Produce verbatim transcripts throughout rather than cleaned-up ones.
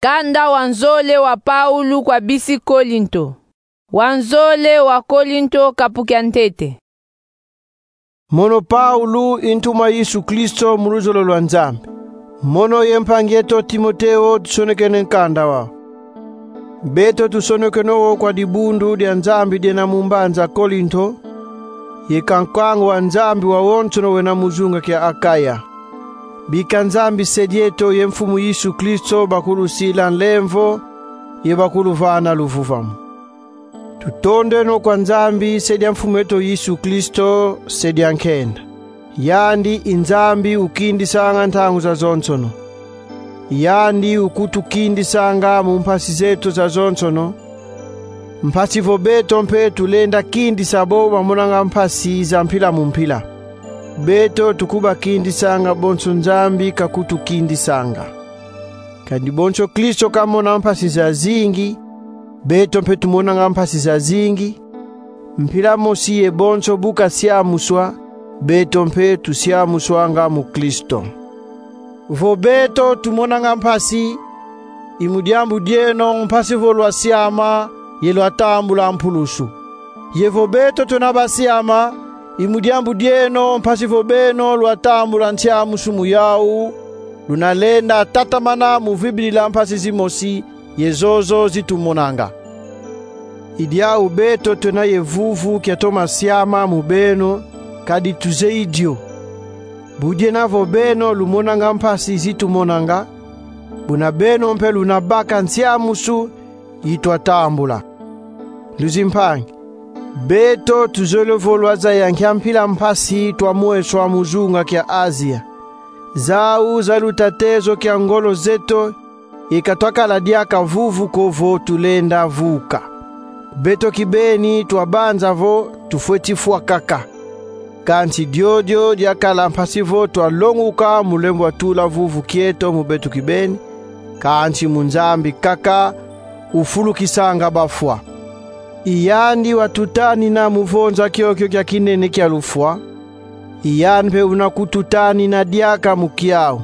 Nkanda wa nzole wa Paulu kwa bisi Kolinto. Wa nzole wa Kolinto, kapu kia ntete. Mono Paulu, i ntuma Yesu Kristo mu luzolo lwa Nzambi. Mono ye mpangi eto Timoteo tusonekene nkanda wau. Beto tusonekene wo kwa dibundu dia Nzambi diena mu mbanza Kolinto, ye kankangu wa Nzambi wawonsono wena mu zunga kia Akaya. Bika Nzambi Se dieto ye Mfumu Yesu Kristo bakulusila nlemvo ye bakuluvana luvuvamu. Tutondeno kwa Nzambi, Se dia Mfumu eto Yesu Kristo, Se dia nkenda. Yandi i Nzambi ukindisanga ntangu zazonsono. Yandi ukutukindisanga mu mpasi zeto zazonsono, mpasi vo beto mpe tulenda kindisa bo bamonanga mpasi za mpila mu mpila. Beto tukubakindisanga bonso Nzambi kakutukindisanga. Kadi bonso Kristo kamona mpasi zazingi, beto mpe tumonanga mpasi zazingi, mpila mosi ye bonso bu kasiamuswa, beto mpe tusiamuswanga mu Kristo. Vo beto tumonanga mpasi, i mu diambu dieno mpasi vo lwasiama ye lwatambula mpulusu. Ye vo beto twena basiama, i mu diambu dieno mpasi vo beno lwatambula nsiamusu mu yau, luna lenda tatamana mu vidila mpasi zimosi ye zozo zitumonanga. I diau beto twena ye vuvu kiatoma siama mu beno, kadi tuzeyi dio. Bu diena vo beno lumonanga mpasi zitumonanga, buna beno mpe luna baka nsiamusu yi twatambula. Nduzi mpangi, beto tuzolele vo lwazaya nkia mpila mpasi twamweswa mu zunga kia Azia. Zau zaluta tezo kia ngolo zeto, ye ka twakala diaka vuvu ko vo tulenda vuka. Beto kibeni twabanza vo tufweti fwa kaka. Kansi diodio diakala mpasi vo twalonguka mu lembo wa tula vuvu kieto mu beto kibeni, kansi mu Nzambi kaka ufulukisanga bafwa. I yandi watutanina mu vonza kiokio kia kinene kia lufwa, i yandi mpe una kututanina diaka mu kiau.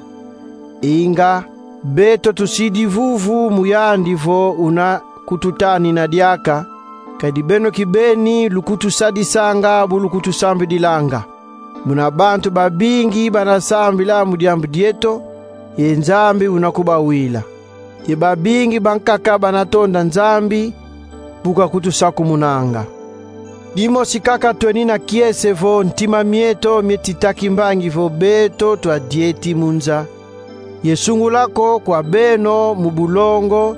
Inga, beto tusidi vuvu mu yandi vo una kututanina diaka, kadi beno kibeni lukutusadisanga bu lukutusambidilanga. Muna bantu babingi bana sambila mu diambu dieto, ye Nzambi una kubawila. Ye babingi bankaka bana tonda Nzambi bu kakutusakumunanga. Dimosi kaka twenina kiese vo ntima mieto mieti ta kimbangi vo beto twadieti mu nza, ye sungula ko kwa beno mu bulongo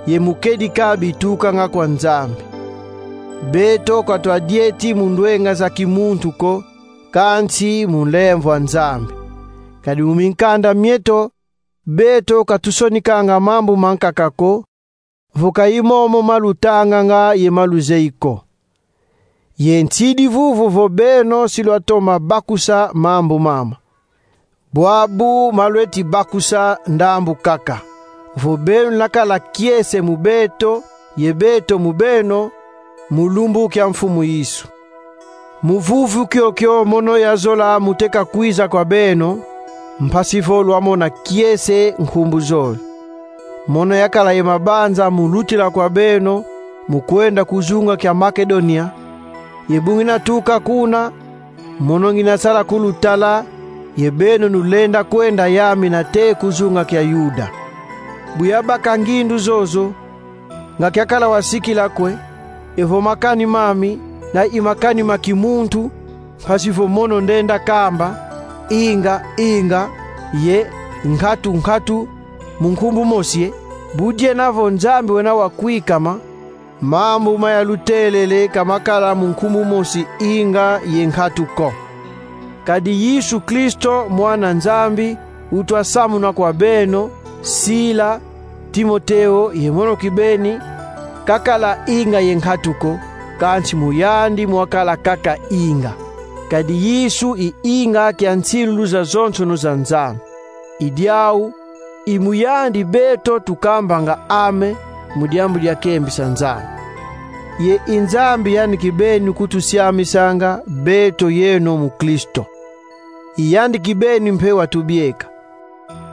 ye mu kedika bitukanga kwa Nzambi. Beto ka twadieti mu ndwenga za kimuntu ko, kansi mu nlemvo a Nzambi. Kadi mu minkanda mieto, beto ka tusonikanga mambu mankaka ko, vo ka i momo ma lutanganga ye ma luzeyi ko. Ye nsidi vuvu vo beno si lwatoma bakusa mambu mama. Bwabu ma lweti bakusa ndambu kaka, vo beno lwakala kiese mu beto, ye beto mu beno, mu lumbu kia Mfumu Yesu. Mu vuvu kiokio mono yazola mu teka kwiza kwa beno, mpasi vo lwamona kiese nkumbu zole. Mono yakala ye mabanza mu lutila kwa beno, mu kwenda ku zunga kia Makedonia, ye bu ngina tuka kuna, mono ngina sala kulutala, ye beno nulenda kwenda yamina te ku zunga kia Yuda. Bu yabaka ngindu zozo, nga kiakala wasikila kwe, evo makani mami, na i makani ma kimuntu, mpasi vo mono ndenda kamba, inga, inga, ye nkatu, nkatu, mu nkumbu mosi e, bu diena vo Nzambi wena wakwikama, mambu ma yalutelele ka makala mu nkumbu mosi inga ye nkatu ko. Kadi Yesu Kristo, Mwana Nzambi, utwasamuna kwa beno, Sila, Timoteo ye mono kibeni, kakala inga ye nkatu ko, kansi mu yandi mwakala kaka inga. Kadi Yesu i inga kia nsilulu zazonsono za Nzambi. I diau, i mu yandi beto tukambanga amen mu diambu dia kembisa Nzambi. Ye i Nzambi yandi kibeni kutusiamisanga beto yeno mu Kristo. I yandi kibeni mpe watubieka.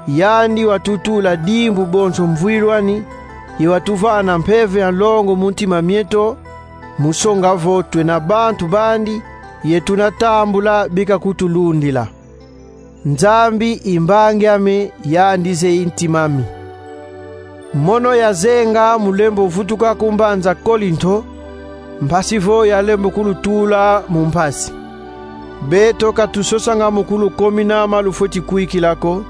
Yandi watutula dimbu bonso mvwilwani, ye watuvana mpeve ya longo mu ntima mieto, mu songa vo twena bantu bandi, ye tuna tambula bika kutulundila. Nzambi i mbangi ame, yandi zeyi ntima ami. Mono yazenga mu lembo vutuka ku mbanza Kolinto, mpasi vo yalembo kulutula mu mpasi. Beto ka tusosanga mu kulukomina ma lufweti kwikila ko,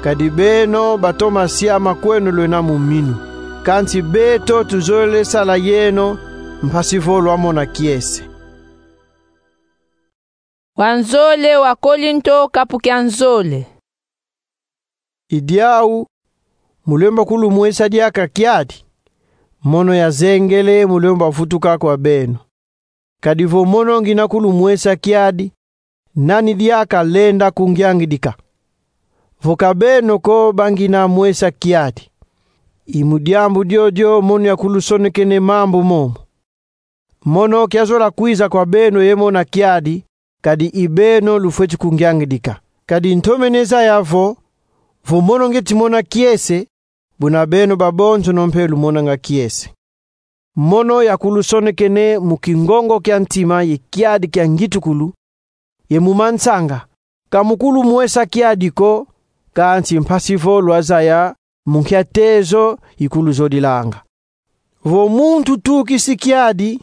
kadi beno batoma siama kweno lwena mu minu. Kansi beto tuzolele sala yeno, mpasi vo lwamona kiese. Wanzole wa Kolinto, kapu kia nzole. I diau, mu lembo kulumwesa diaka kiadi, mono yazengele mu lembo vutuka kwa beno. Kadi vo mono ngina kulumwesa kiadi, nani diaka lenda kungiangidika? Vo ka beno ko bangina mwesa kiadi. I mu diambu diodio mono yakulusonekene mambu momo. Mono kiazola kwiza kwa beno ye mona kiadi, kadi i beno lufweti kungiangidika. Kadi ntomene zaya vo, vo mono ngieti mona kiese, buna beno babonsono mpe lumonanga kiese. Mono yakulusonekene mu kingongo kia ntima ye kiadi kia ngitukulu, ye mu mansanga, ka mu kulumwesa kiadi ko, kansi mpasi vo lwazaya mu nkia tezo ikuluzodilanga. Vo muntu tukisi kiadi,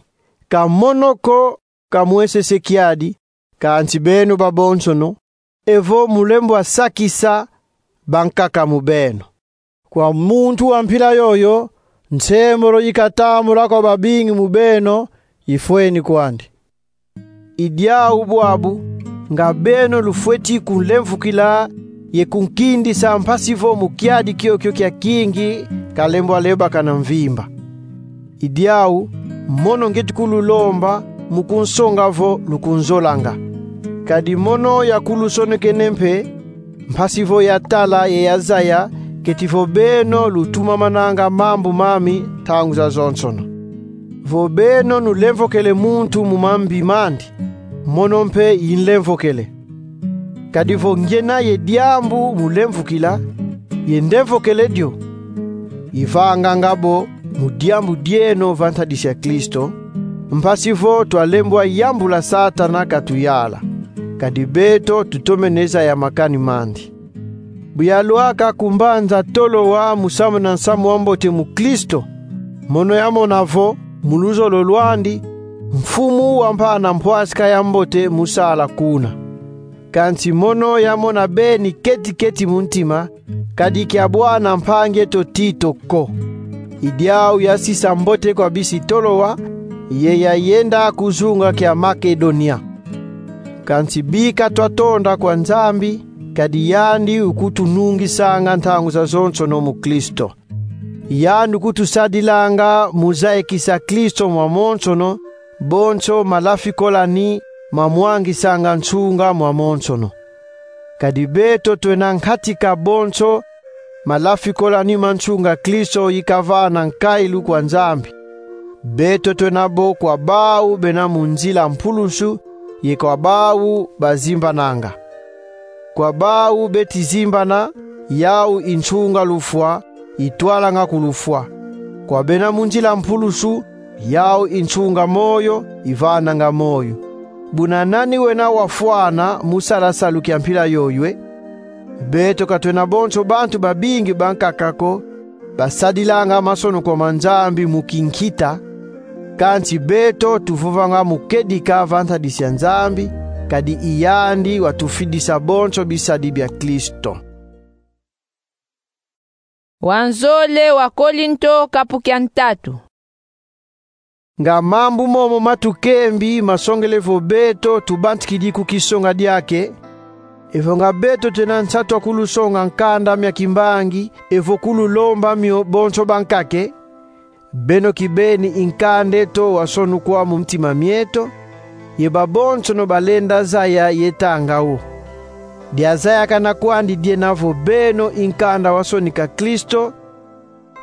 ka mono ko kamwesese kiadi, kansi beno babonsono, evo mu lembo sakisa bankaka mu beno. Kwa muntu wa mpila yoyo, nsembolo ikatambula kwa babingi mu beno ifweni kwandi. I diau bwabu, nga beno lufweti kunlemvukila ye kunkindisa mpasi vo mu kiadi kiokio kia kingi kalembo lebakana mvimba. I diau, mono ngieti kululomba mu kunsonga vo lukunzolanga. Kadi mono yakulusonekene mpe, mpasi vo yatala ye yazaya keti vo beno lutumamananga mambu mami ntangu zazonsono. Vo beno nulemvokele muntu mu mambi mandi, mono mpe inlemvokele. Kadi vo ngiena ye diambu mu lemvukila, ye ndemvokele dio, ivanganga bo mu diambu dieno va ntadisi ya Kristo, mpasi vo twalembwa yambula Satana katuyala. Kadi beto tutomene zaya makani mandi. Bu yalwaka ku mbanza Toloa mu sambana nsamu wa mbote mu Kristo, mono yamona vo, mu luzolo lwandi, mfumu wampana mpwasika ya mbote mu sala kuna. Kansi mono yamona beni keti-keti mu ntima, kadi kia bwana mpangi eto Tito ko. I diau yasisa mbote kwa bisi Toloa, ye yayenda ku zunga kia Makedonia. Kansi bika twatonda kwa Nzambi, kadi yandi ukutunungisanga ntangu zazonsono mu Kristo. Yandi ukutusadilanga mu zayikisa Kristo mwamonsono, bonso malafikolani mamwangisanga nsunga mwamonsono. Kadi beto twena nkatika bonso malafikolani ma nsunga Kristo ikavana nkailu kwa Nzambi. Beto twena bo kwa bau bena mu nzila mpulusu, ye kwa bau bazimbananga. Kwa bau beti zimbana, yau i nsunga lufwa, itwalanga ku lufwa. Kwa bena mu nzila mpulusu, yau i nsunga moyo, ivananga moyo. Buna nani wena wafwana mu sala salu kia mpila yoyo e? Beto ka twena bonso bantu babingi bankaka ko, basadilanga masonokwa ma Nzambi mu kinkita, kansi beto tuvovanga mu kedika va ntadisi ya Nzambi, kadi i yandi watufidisa bonso bisadi bia Kristo. Wanzole wa Kolinto, kapu kia ntatu. Nga mambu momo matukembi masongele vo beto tubantikidi ku kisonga diake, evo nga beto twena nsatu wa kulusonga nkanda mia kimbangi, evo kululomba mio bonso bankaka e? Beno kibeni i nkanda eto wasonukwa mu ntima mieto, ye babonsono balenda zaya ye tanga wo. Diazayakana kwandi diena vo beno i nkanda wasonika Kristo,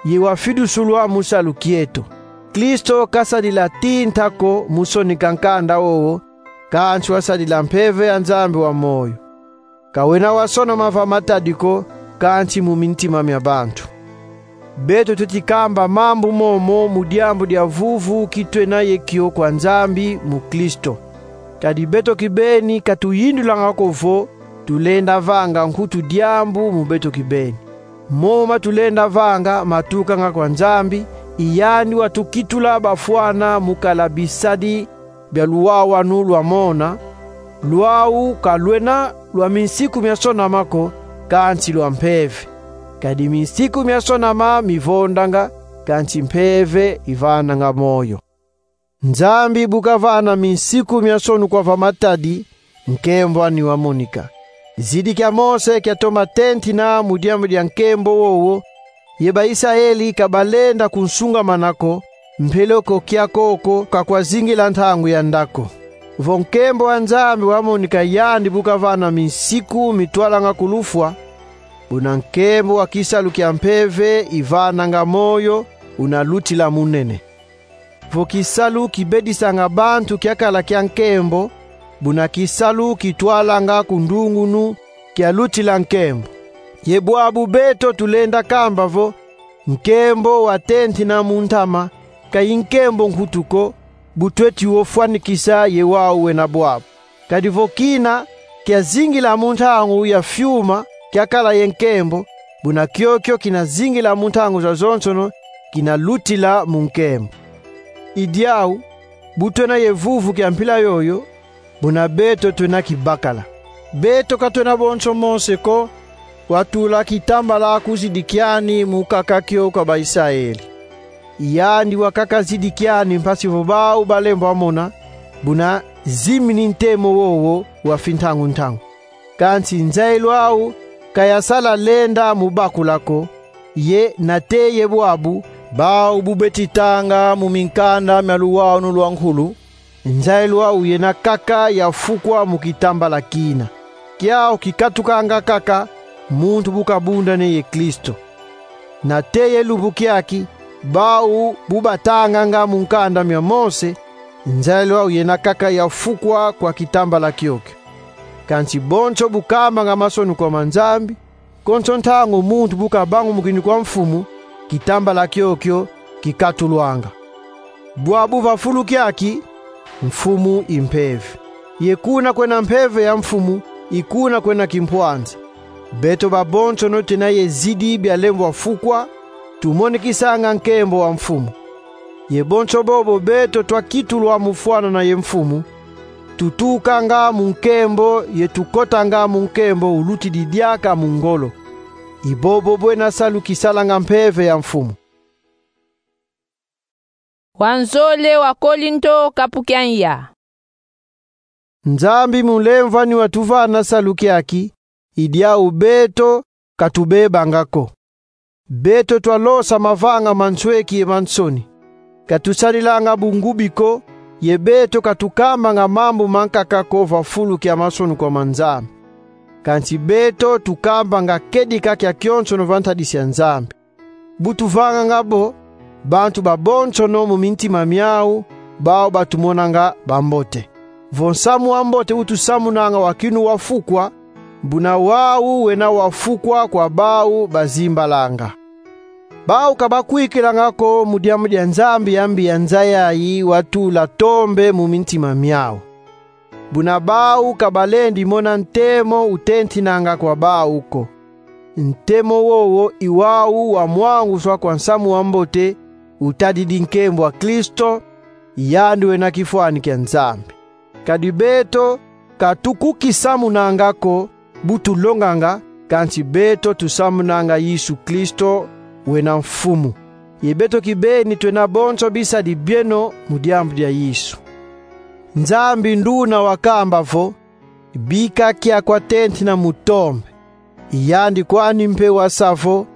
ye wafidusulwa mu salu kieto. Kristo kasadila tinta ko mu sonika nkanda wowo, kansi wasadila Mpeve ya Nzambi wa moyo. Ka wena wasonama va matadi ko, kansi mu mintima mia bantu. Beto tweti kamba mambu momo mu diambu dia vuvu ki twena ye kio kwa Nzambi mu Kristo. Kadi beto kibeni ka tuyindulanga ko vo tulenda vanga nkutu diambu mu beto kibeni. Momo ma tulenda vanga matukanga kwa Nzambi, i yandi watukitula bafwana mu kala bisadi bia luwawanu lwa mona. Lwau ka lwena lwa minsiku mia sonama ko, kansi lwa mpeve. Kadi minsiku mia sonama mivondanga, kansi mpeve ivananga moyo. Nzambi bu kavana minsiku mia nsonu kwa va Matadi, nkembo ani wamonika. Zidi kia Mose kiatoma tentina mu diambu dia nkembo wowo, ye ba Isayeli ka balenda kunsungamana ko, mpeleko kiakoko ka kwazingila ntangu ya nda ko. Vo nkembo wa Nzambi wamonika yandi bu kavana minsiku mitwalanga ku lufwa, buna nkembo wa kisalu kia mpeve ivananga moyo unalutila munene. Vo kisalu kibedisanga bantu kiakala kia nkembo, buna kisalu kitwalanga ku ndungunu kialutila nkembo. Ye bwabu beto tulenda kamba vo, nkembo watentina mu ntama, ka i nkembo nkutu ko, bu tweti wo fwanikisa ye wau wena bwabu. Kadi vo kina kiazingila mu ntangu ya fiuma kiakala ye nkembo, buna kiokio kinazingila mu ntangu zazonsono kinalutila mu nkembo. I diau, bu twena ye vuvu kia mpila yoyo, buna beto twena kibakala. Beto ka twena bonso Mose ko, watula kitambala kuzidi kiani mu kaka kio kwa ba Isayeli. Yandi wakaka zidi kiani mpasi vo bau balembwa mona, buna zimini ntemo wowo wa fintangu-ntangu. Kansi nzayilu au ka yasala lenda mu bakula ko, ye nate ye bwabu, bau bu beti tanga mu minkanda mia luwawanu lwa nkulu, nzayilu au yena kaka ya fukwa mu kitambala kina. Kiau kikatukanga kaka muntu bu kabundane ye Kristo. Nate ye lumbu kiaki, bau bu batanganga mu nkanda mia Mose, nzayilu au yena kaka ya fukwa kwa kitambala kiokio. Kansi bonso bu kambanga mansoni kwa ma Nzambi, konso ntangu muntu bu kabangumukini kwa Mfumu, kitambala kiokio kikatulwanga. Bwabu va fulu kiaki, Mfumu i mpeve. Ye kuna kwena mpeve ya Mfumu, i kuna kwena kimpwanza. Beto babonsono twena ye zidi bia lembwa fukwa, tumonikisanga nkembo wa Mfumu. Ye bonso bobo beto twakitulwa mu fwanana ye Mfumu, tutukanga mu nkembo ye tukotanga mu nkembo ulutidi diaka mu ngolo. I bobo bwena salu kisalanga mpeve ya Mfumu. Wa nzole wa Kolinto, kapu kia ya. Nzambi mu lemvani watuvana salu kiaki, i diau beto ka tubebanga ko. Beto twalosa mavanga ma nsweki ye ma nsoni. Ka tusadilanga bungubi ko, ye beto ka tukambanga mambu mankaka ko va fulu kia mansoni kwa ma Nzambi. Kansi beto tukambanga kedika kiakionsono va ntadisi ya Nzambi. Bu tuvanganga bo, bantu babonsono mu mintima miau, bau batumonanga bambote. Vo nsamu wa mbote utusamunanga wa kinu wa fukwa, buna wau wena wa fukwa kwa bau bazimbalanga. Bau ka bakwikilanga ko mu diambu dia Nzambi ya mbi ya nza yayi watula tombe mu mintima miau. Buna bau ka balendi mona ntemo utentinanga kwa bau ko. Ntemo wowo i wau wa mwanguswa kwa nsamu wa mbote utadidi nkembo wa Kristo, yandi wena kifwani kia Nzambi. Kadi beto ka tukukisamunanga ko bu tulonganga, kansi beto tusamunanga Yesu Kristo wena Mfumu. Ye beto kibeni twena bonso bisadi bieno mu diambu dia Yesu. Nzambi nduna wakamba vo: Bika kia kwatentina mu tombe. I yandi kwani mpe wasa vo: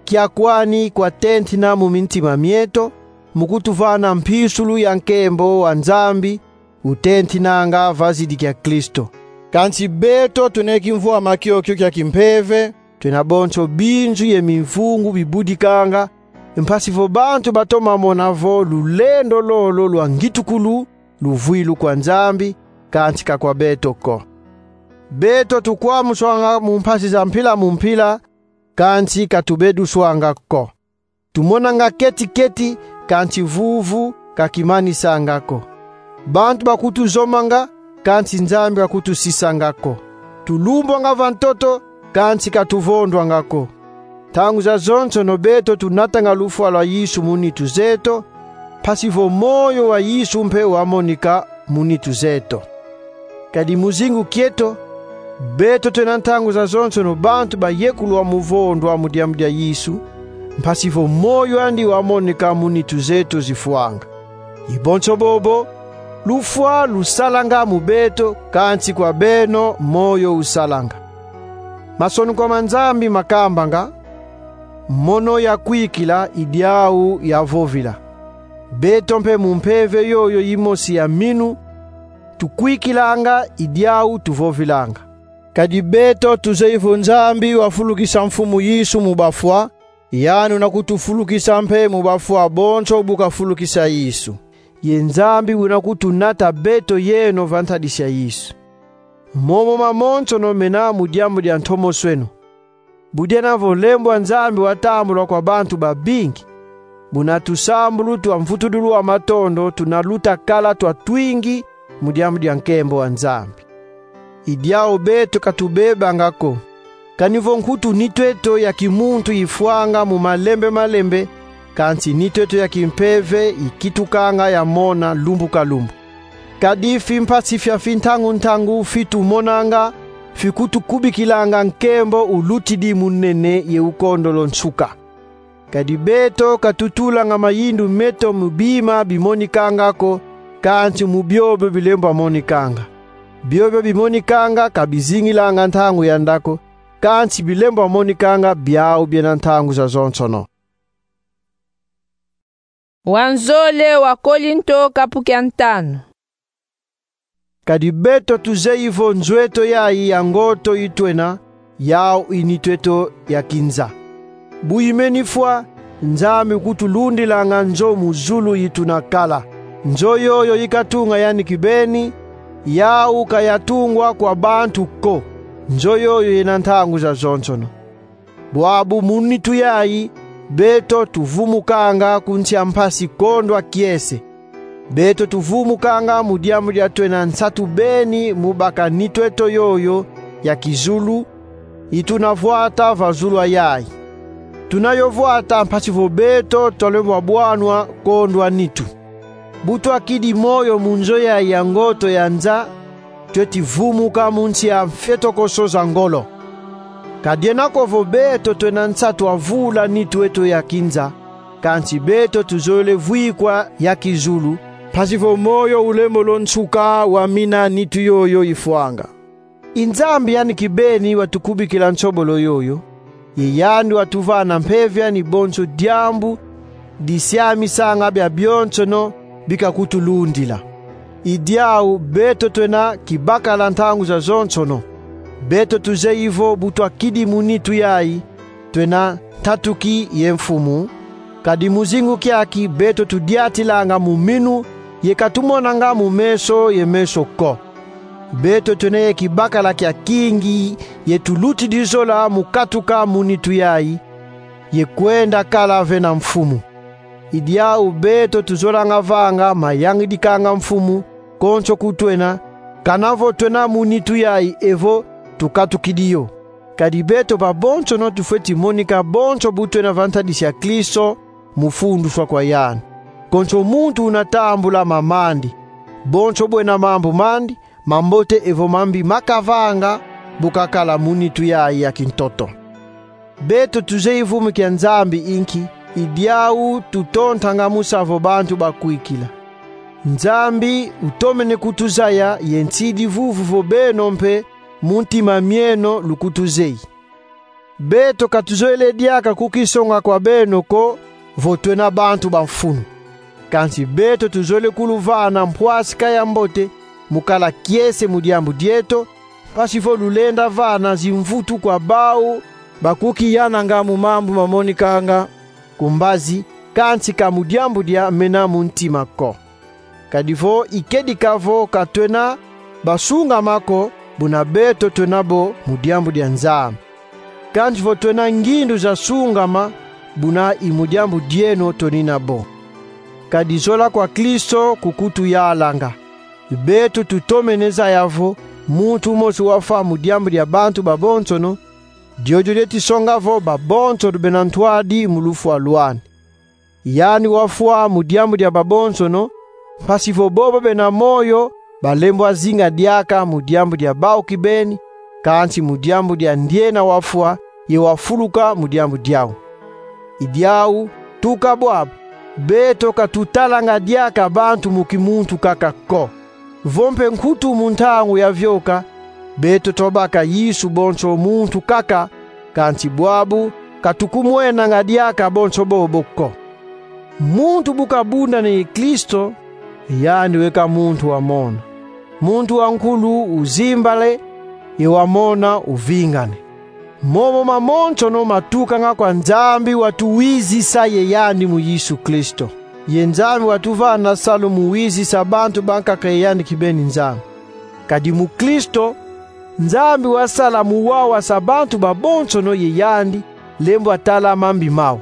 Kia kwani kwatentina mu mintima mieto, mu kutuvana mpisulu ya nkembo wa Nzambi utentinanga va zidi kia Kristo. Kansi beto twena kimvwama kiokio kia kimpeve, twena bonso binzu ye mimvungu bibudikanga, mpasi vo bantu batoma mona vo lulendo lolo lwa ngitukulu luvwilu kwa Nzambi, kansi ka kwa beto ko. Beto tukwamuswanga mu mpasi za mpila mu mpila, kansi ka tubeduswanga ko. Tumonanga keti-keti, kansi vuvu ka kimanisanga ko. Bantu bakutuzomanga, kansi Nzambi kakutusisanga ko. Tulumbwanga va ntoto, kansi ka tuvondwanga ko. Ntangu zazonsono beto tunatanga lufwa lwa Yesu mu nitu zeto, mpasi vo moyo wa Yesu mpe wamonika mu nitu zeto. Kadi mu zingu kieto, beto twena ntangu zazonsono bantu bayekulwa mu vondwa mu diambu dia Yesu, mpasi vo moyo andi wamonika mu nitu zeto zifwanga. I bonso bobo, lufwa lusalanga mu beto, kansi kwa beno moyo usalanga. Masoniko ma Nzambi makambanga: Mono yakwikila, i diau yavovila. Beto mpe mu mpeve yoyo yimosi ya minu tukwikilanga, i diau tuvovilanga. Kadi beto tuzeyi vo Nzambi wafulukisa Mfumu Yesu mu bafwa, yandi una kutufulukisa mpe mu bafwa bonso bu kafulukisa Yesu. Ye Nzambi una kutunata beto yeno va ntadisi ya Yesu. Momo mamonsono mena mu diambu dia ntomosweno. Bu diena vo nlemvo a Nzambi watambulwa kwa bantu babingi, buna tusambulu twa mvutudulu wa matondo tuna luta kala twa twingi mu diambu dia nkembo wa Nzambi. I diau beto ka tubebanga ko. Kani vo nkutu nitu eto ya kimuntu ifwanga mu malembe malembe, kansi nitu eto ya kimpeve ikitukanga ya mona lumbu ka lumbu. Kadi fimpasi fia fintangu-ntangu fi tumonanga fikutukubikilanga nkembo ulutidi mu nene ye ukondolo nsuka. Kadi beto ka tutulanga mayindu meto mu bima bimonikanga ko, kansi mu biobio bilembwa monikanga. Biobio bimonikanga ka bizingilanga ntangu ya nda ko, kansi bilembwa monikanga biau biena ntangu zazonsono. Wanzole wa Kolinto, kapu kia ntanu. Kadi beto tuzeyi vo nzo eto yayi ya ngoto yi twena, yau i nitu eto ya kinza. Bu imeni fwa, Nzambi kutulundilanga nzo mu zulu yi tuna kala. Nzo yoyo yi katunga yani kibeni, yau ka yatungwa kwa bantu ko. Nzo yoyo yena ntangu zazonsono. Bwabu mu nitu yayi, beto tuvumukanga ku nsi a mpasi kondwa kiese. Beto tuvumukanga mu diambu dia twena nsatu beni mu baka nitu eto yoyo ya kizulu, yi tuna vwata va zulu a yayi. Tuna yo vwata mpasi vo beto tolembwa bwanwa kondwa nitu. Bu twakidi moyo mu nzo yayi ya ngoto ya nza, tweti vumuka mu nsi a mfetokoso za ngolo. Ka diena ko vo beto twena nsatu a vula nitu eto ya kinza, kansi beto tuzolele vwikwa ya kizulu, mpasi vo moyo ulembolo nsuka wa mina nitu yoyo ifwanga. I Nzambi yani kibeni watukubikila nsobolo yoyo, ye yandi watuvana mpeve yani bonso diambu disiamisanga biabionsono bi kakutulundila. I diau beto twena kibakala ntangu zazonsono. Beto tuzeyi vo bu twakidi mu nitu yayi, twena ntatuki ye Mfumu, kadi mu zingu kiaki beto tudiatilanga mu minu ye ka tumonanga mu meso ye meso ko. Beto twena ye kibakala kia kingi ye tulutidi zola mu katuka mu nitu yayi, ye kwenda kala ve na Mfumu. I diau beto tuzolanga vanga mayangidikanga Mfumu konso ku twena, kana vo twena mu nitu yayi evo tukatukidi yo. Kadi beto babonsono tufweti monika bonso bu twena va ntadisi ya Kristo, mu funduswa kwa yandi. Konso muntu una tambula mam'andi, bonso bwena mambu mandi, mambote evo mambi makavanga, bu kakala mu nitu yayi ya kintoto. Beto tuzeyi vumu kia Nzambi inki, i diau tutontanga mu sa vo bantu bakwikila. Nzambi utomene kutuzaya ye nsidi vuvu vo beno mpe mu ntima mieno lukutuzeyi. Beto ka tuzolele diaka kukisonga kwa beno ko vo twena bantu ba mfunu. Kansi beto tuzolele kuluvana mpwasika ya mbote mu kala kiese mu diambu dieto, mpasi vo lulenda vana zimvutu kwa bau bakukiyananga mu mambu mamonikanga ku mbazi, kansi ka mu diambu dia mena mu ntima ko. Kadi vo i kedika vo ka twena basungama ko, buna beto twena bo mu diambu dia Nzambi. Kansi vo twena ngindu za sungama, buna i mu diambu dieno twenina bo. Kadi zola kwa Kristo kukutuyalanga. Beto tutomene zaya vo muntu mosi wafwa mu diambu dia bantu babonsono, diodio dieti songa vo babonsono bena ntwadi mu lufwa lwani. Yandi wafwa mu diambu dia babonsono, mpasi vo bobo bena moyo balembwa zinga diaka mu diambu dia bau kibeni, kansi mu diambu dia ndiena wafwa, ye wafuluka mu diambu diau. I diau, tuka bwabu, beto ka tutalanga diaka bantu mu kimuntu kaka ko. Vo mpe nkutu mu ntangu ya vioka, beto twabaka Yesu bonso muntu kaka, kansi bwabu ka tukumwenanga diaka bonso bobo ko. Muntu bu kabundane ye Kristo, yandi weka muntu wa mona. Muntu wa nkulu uzimbale, ye wa mona uvingane. Momo mamonsono matukanga kwa Nzambi watuwizisa ye yandi mu Yesu Kristo. Ye Nzambi watuvana salu mu wizisa bantu bankaka ye yandi kibeni Nzambi. Kadi mu Kristo, Nzambi wasala mu wawasa bantu babonsono ye yandi, lembwa tala mambi mau.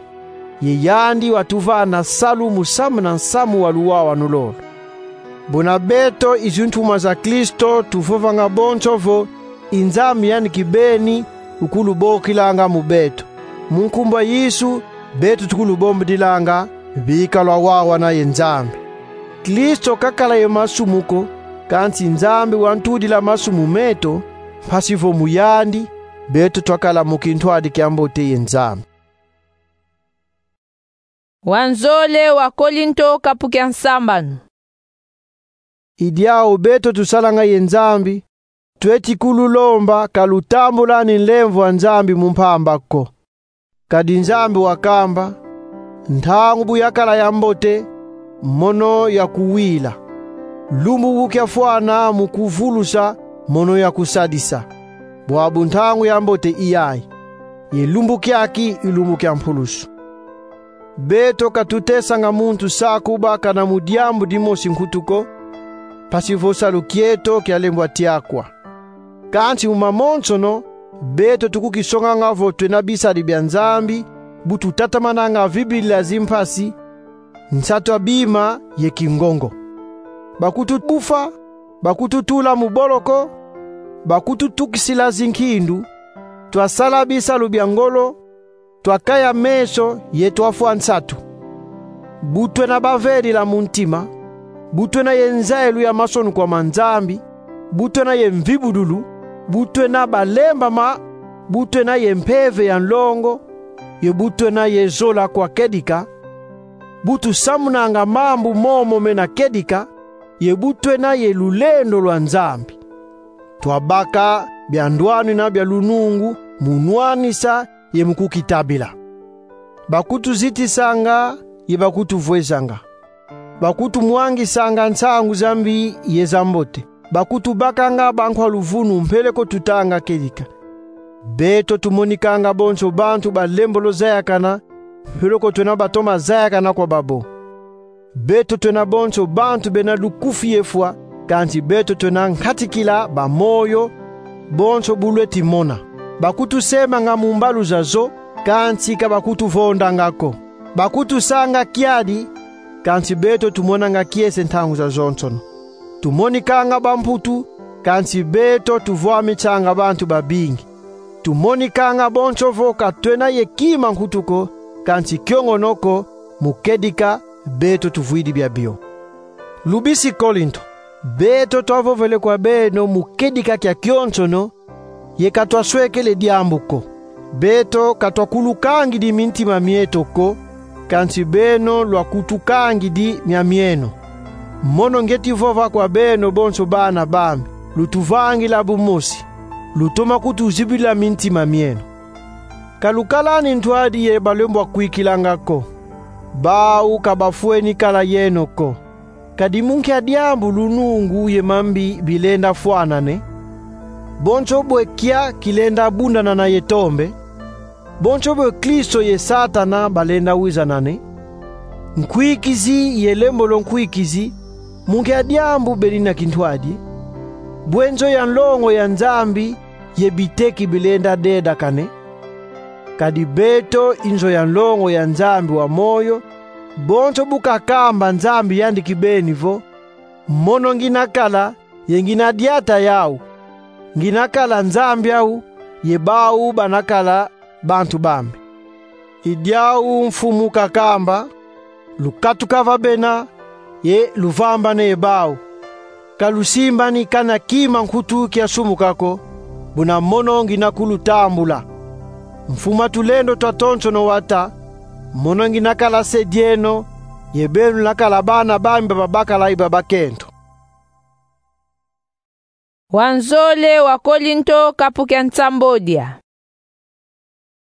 Ye yandi watuvana salu mu samuna nsamu wa luwawanu lolo. Buna beto i zintumwa za Kristo tuvovanga bonso vo, i Nzambi yandi kibeni ukulubokilanga mu beto. Mu nkumbu a Yesu, beto tukulubombidilanga, bika lwawawana ye Nzambi. Kristo kakala ye masumu ko, kansi Nzambi wantudila masumu meto, mpasi vo mu yandi, beto twakala mu kintwadi kia mbote ye Nzambi. Wanzole wa Kolinto, kapu kia nsambanu. I diau beto tusalanga ye Nzambi, tweti kululomba ka lutambulani nlemvo a Nzambi mu mpamba ko. Kadi Nzambi wakamba, ntangu bu yakala ya mbote, mono yakuwila. Lumbu bu kiafwana mu kuvulusa, mono yakusadisa. Bwabu ntangu ya mbote i yayi. Ye lumbu kiaki i lumbu kia mpulusu. Beto ka tutesanga muntu sakuba kana mu diambu dimosi nkutu ko, mpasi vo salu kieto kialembwa tiakwa. Kansi mu mamonsono, beto tukukisonganga vo twena bisadi bia Nzambi, bu tutatamananga vibila zimpasi, nsatu a bima ye kingongo. Bakutubufa, bakututula mu boloko, bakututukisila zinkindu, twasala bisalu bia ngolo, twakaya meso ye twafwa nsatu. Bu twena bavedila mu ntima, bu twena ye nzayilu ya masonukwa ma Nzambi, bu twena ye mvibudulu, bu twena balembama, bu twena ye mpeve ya nlongo, ye bu twena ye zola kwa kedika, bu tusamunanga mambu momo mena kedika, ye bu twena ye lulendo lwa Nzambi. Twabaka bia ndwanina bia lunungu mu nwanisa ye mu kukitabila. Bakutuzitisanga ye bakutuvwezanga. Bakutumwangisanga nsangu za mbi ye za mbote. Bakutubakanga bankwa luvunu mpeleko tutanga kedika. Beto tumonikanga bonso bantu ba lembolo zayakana, mpeleko twena batoma zayakana kwa babo. Beto twena bonso bantu bena lukufi ye fwa, kansi beto twena nkatikila ba moyo, bonso bu lweti mona. Bakutusemanga mu mbalu zazo, kansi ka bakutuvondanga ko. Bakutusanga kiadi, kansi beto tumonanga kiese ntangu zazonsono. Tumonikanga bamputu, kansi beto tuvwamisanga bantu babingi. Tumonikanga bonso vo ka twena ye kima nkutu ko, kansi kiongono ko, mu kedika beto tuvwidi biabio. Lubisi Kolinto, beto twavovele kwa beno mu kedika kia kionsono, ye ka twaswekele diambu ko. Beto ka twakulukangidi mintima mieto ko, kansi beno lwakutukangidi mia mieno. Mono ngieti vova kwa beno bonso bana bami, lutuvangila bu mosi, lutoma kutuzibila mintima mieno. Ka lukalani ntwadi ye balembwa kwikilanga ko. Bau ka bafweni kala yeno ko. Kadi mu nkia diambu lunungu ye mambi bilenda fwanane? Bonso bwe kia kilenda bundanana ye tombe? Bonso bwe Kristo ye Satana balenda wizanane? Nkwikizi ye lembolo nkwikizi, mu nkia diambu bena kintwadi? Bwe nzo ya nlongo ya Nzambi ye biteki bilenda dedakane? Kadi beto i nzo ya nlongo ya Nzambi wa moyo, bonso bu kakamba Nzambi yandi kibeni vo: Mono ngina kala, ye ngina diata yau. Ngina kala Nzambi au, ye bau bana kala bantu bambi. I diau Mfumu kakamba: Lukatuka va bena, ye luvambane ye bau. Ka lusimbani kana kima nkutu kia sumuka ko, buna mono ngina kulutambula. Mfuma tulendo twatonsono wata: Mono ngina kala se dieno, ye beno luna kala bana bambi ba babakala ye ba bakento. Wanzole wa Kolinto, kapu kia nsambodia.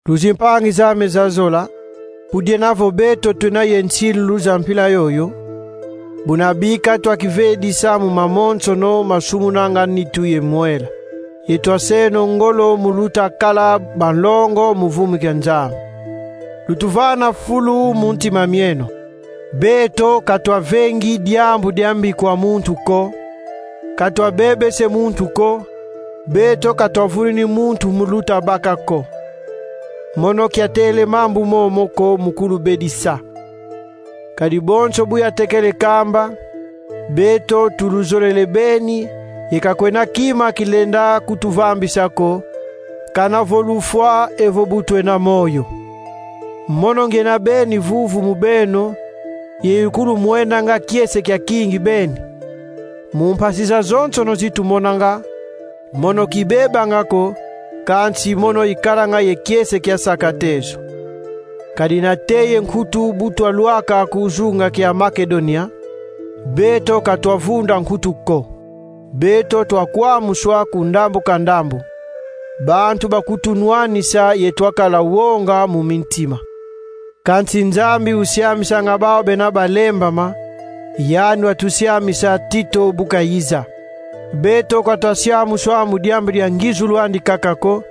Luzimpangi zame za zola, pu diena vo beto twena ye nsilulu za mpila yoyo, buna bika twakivedisa mu mamonsono masumunanga nitu ye mwela, ye twaseno ngolo mu luta kala banlongo mu vumu kia Nzambi. Lutuvana fulu mu ntima mieno. Beto ka twavengi diambu dia mbi kwa muntu ko, ka twabebese muntu ko, beto ka twavunini muntu mu luta baka ko. Mono kiatele mambu momo ko mu kulubedisa. Kadi bonso bu yatekele kamba, beto tuluzolele beni, ye ka kwena kima kilenda kutuvambisa ko, kana vo lufwa evo bu twena moyo. Mono ngiena beni vuvu mu beno, ye ikulumwenanga kiese kia kingi beni. Mu mpasi zazonsono zi tumonanga, mono kibebanga ko, kansi mono ikalanga ye kiese kia saka tezo. Kadi nate ye nkutu bu twalwaka ku zunga kia Makedonia, beto ka twavunda nkutu ko. Beto twakwamuswa ku ndambu ka ndambu. Bantu bakutunwanisa ye twakala wonga mu mintima. Kansi Nzambi usiamisanga bau bena balembama, yandi watusiamisa Tito bu kayiza. Beto ka twasiamuswa mu diambu dia ngizulu andi kaka ko,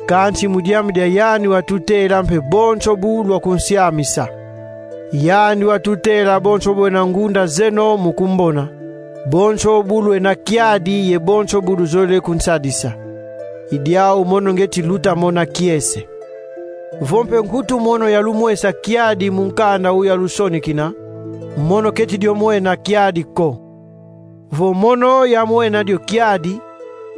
kansi mu diambu dia yandi watutela mpe bonso bu lwakunsiamisa. Yandi watutela bonso bu lwena ngunda zeno mu kumbona, bonso bu lwena kiadi ye bonso bu luzolele kunsadisa. I diau mono ngieti luta mona kiese. Vo mpe nkutu mono yalumwesa kiadi mu nkanda u yalusonikina, mono keti dio mwena kiadi ko. Vo mono yamwena dio kiadi,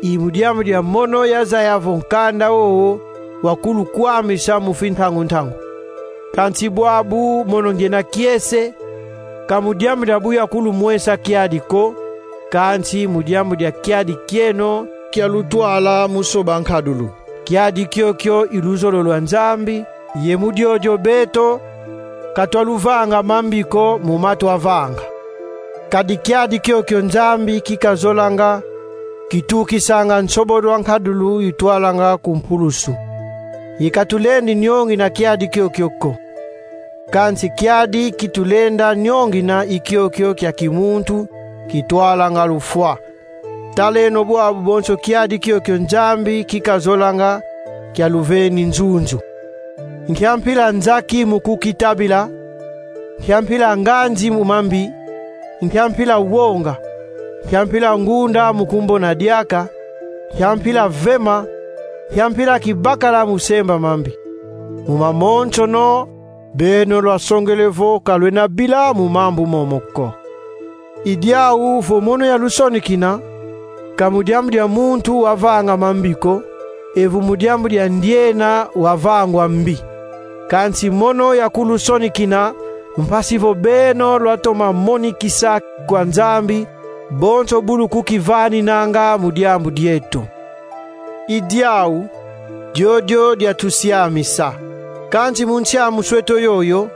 i mu diambu dia mono yazaya vo nkanda wowo wakulukwamisa mu fintangu-ntangu. Kansi bwabu mono ngiena kiese, ka mu diambu dia bu yakulumwesa kiadi ko, kansi mu diambu dia kiadi kieno kia lutwala mu soba nkadulu. Kiadi kiokio i luzolo lwa Nzambi, ye mu diodio beto ka twaluvanga mambi ko mu ma twavanga. Kadi kiadi kiokio Nzambi ki kazolanga kitukisanga nsobodo a nkadulu itwalanga ku mpulusu. Ye ka tulendi niongina kiadi kiokio ko. Kansi kiadi ki tulenda niongina i kiokio kia kimuntu kitwalanga lufwa. Taleno bwabu bonso kiadi kiokio Nzambi ki kazolanga kialuveni nzunzu. Nkia mpila nzaki mu kukitabila, nkia mpila nganzi mu mambi, nkia mpila wonga, nkia mpila ngunda mu kumbona diaka, nkia mpila vema, nkia mpila kibakala mu semba mambi. Mu mamonsono, beno lwasongele vo ka lwena bila mu mambu momo ko. I diau vo mono yalusonikina, ka mu diambu dia muntu wavanga mambi ko, evo mu diambu dia ndiena wavangwa mbi. Kansi mono yakulusonikina, mpasi vo beno lwatoma monikisa kwa Nzambi bonso bu lukukivaninanga mu diambu dieto. I diau, diodio diatusiamisa. Kansi mu nsiamusu eto yoyo,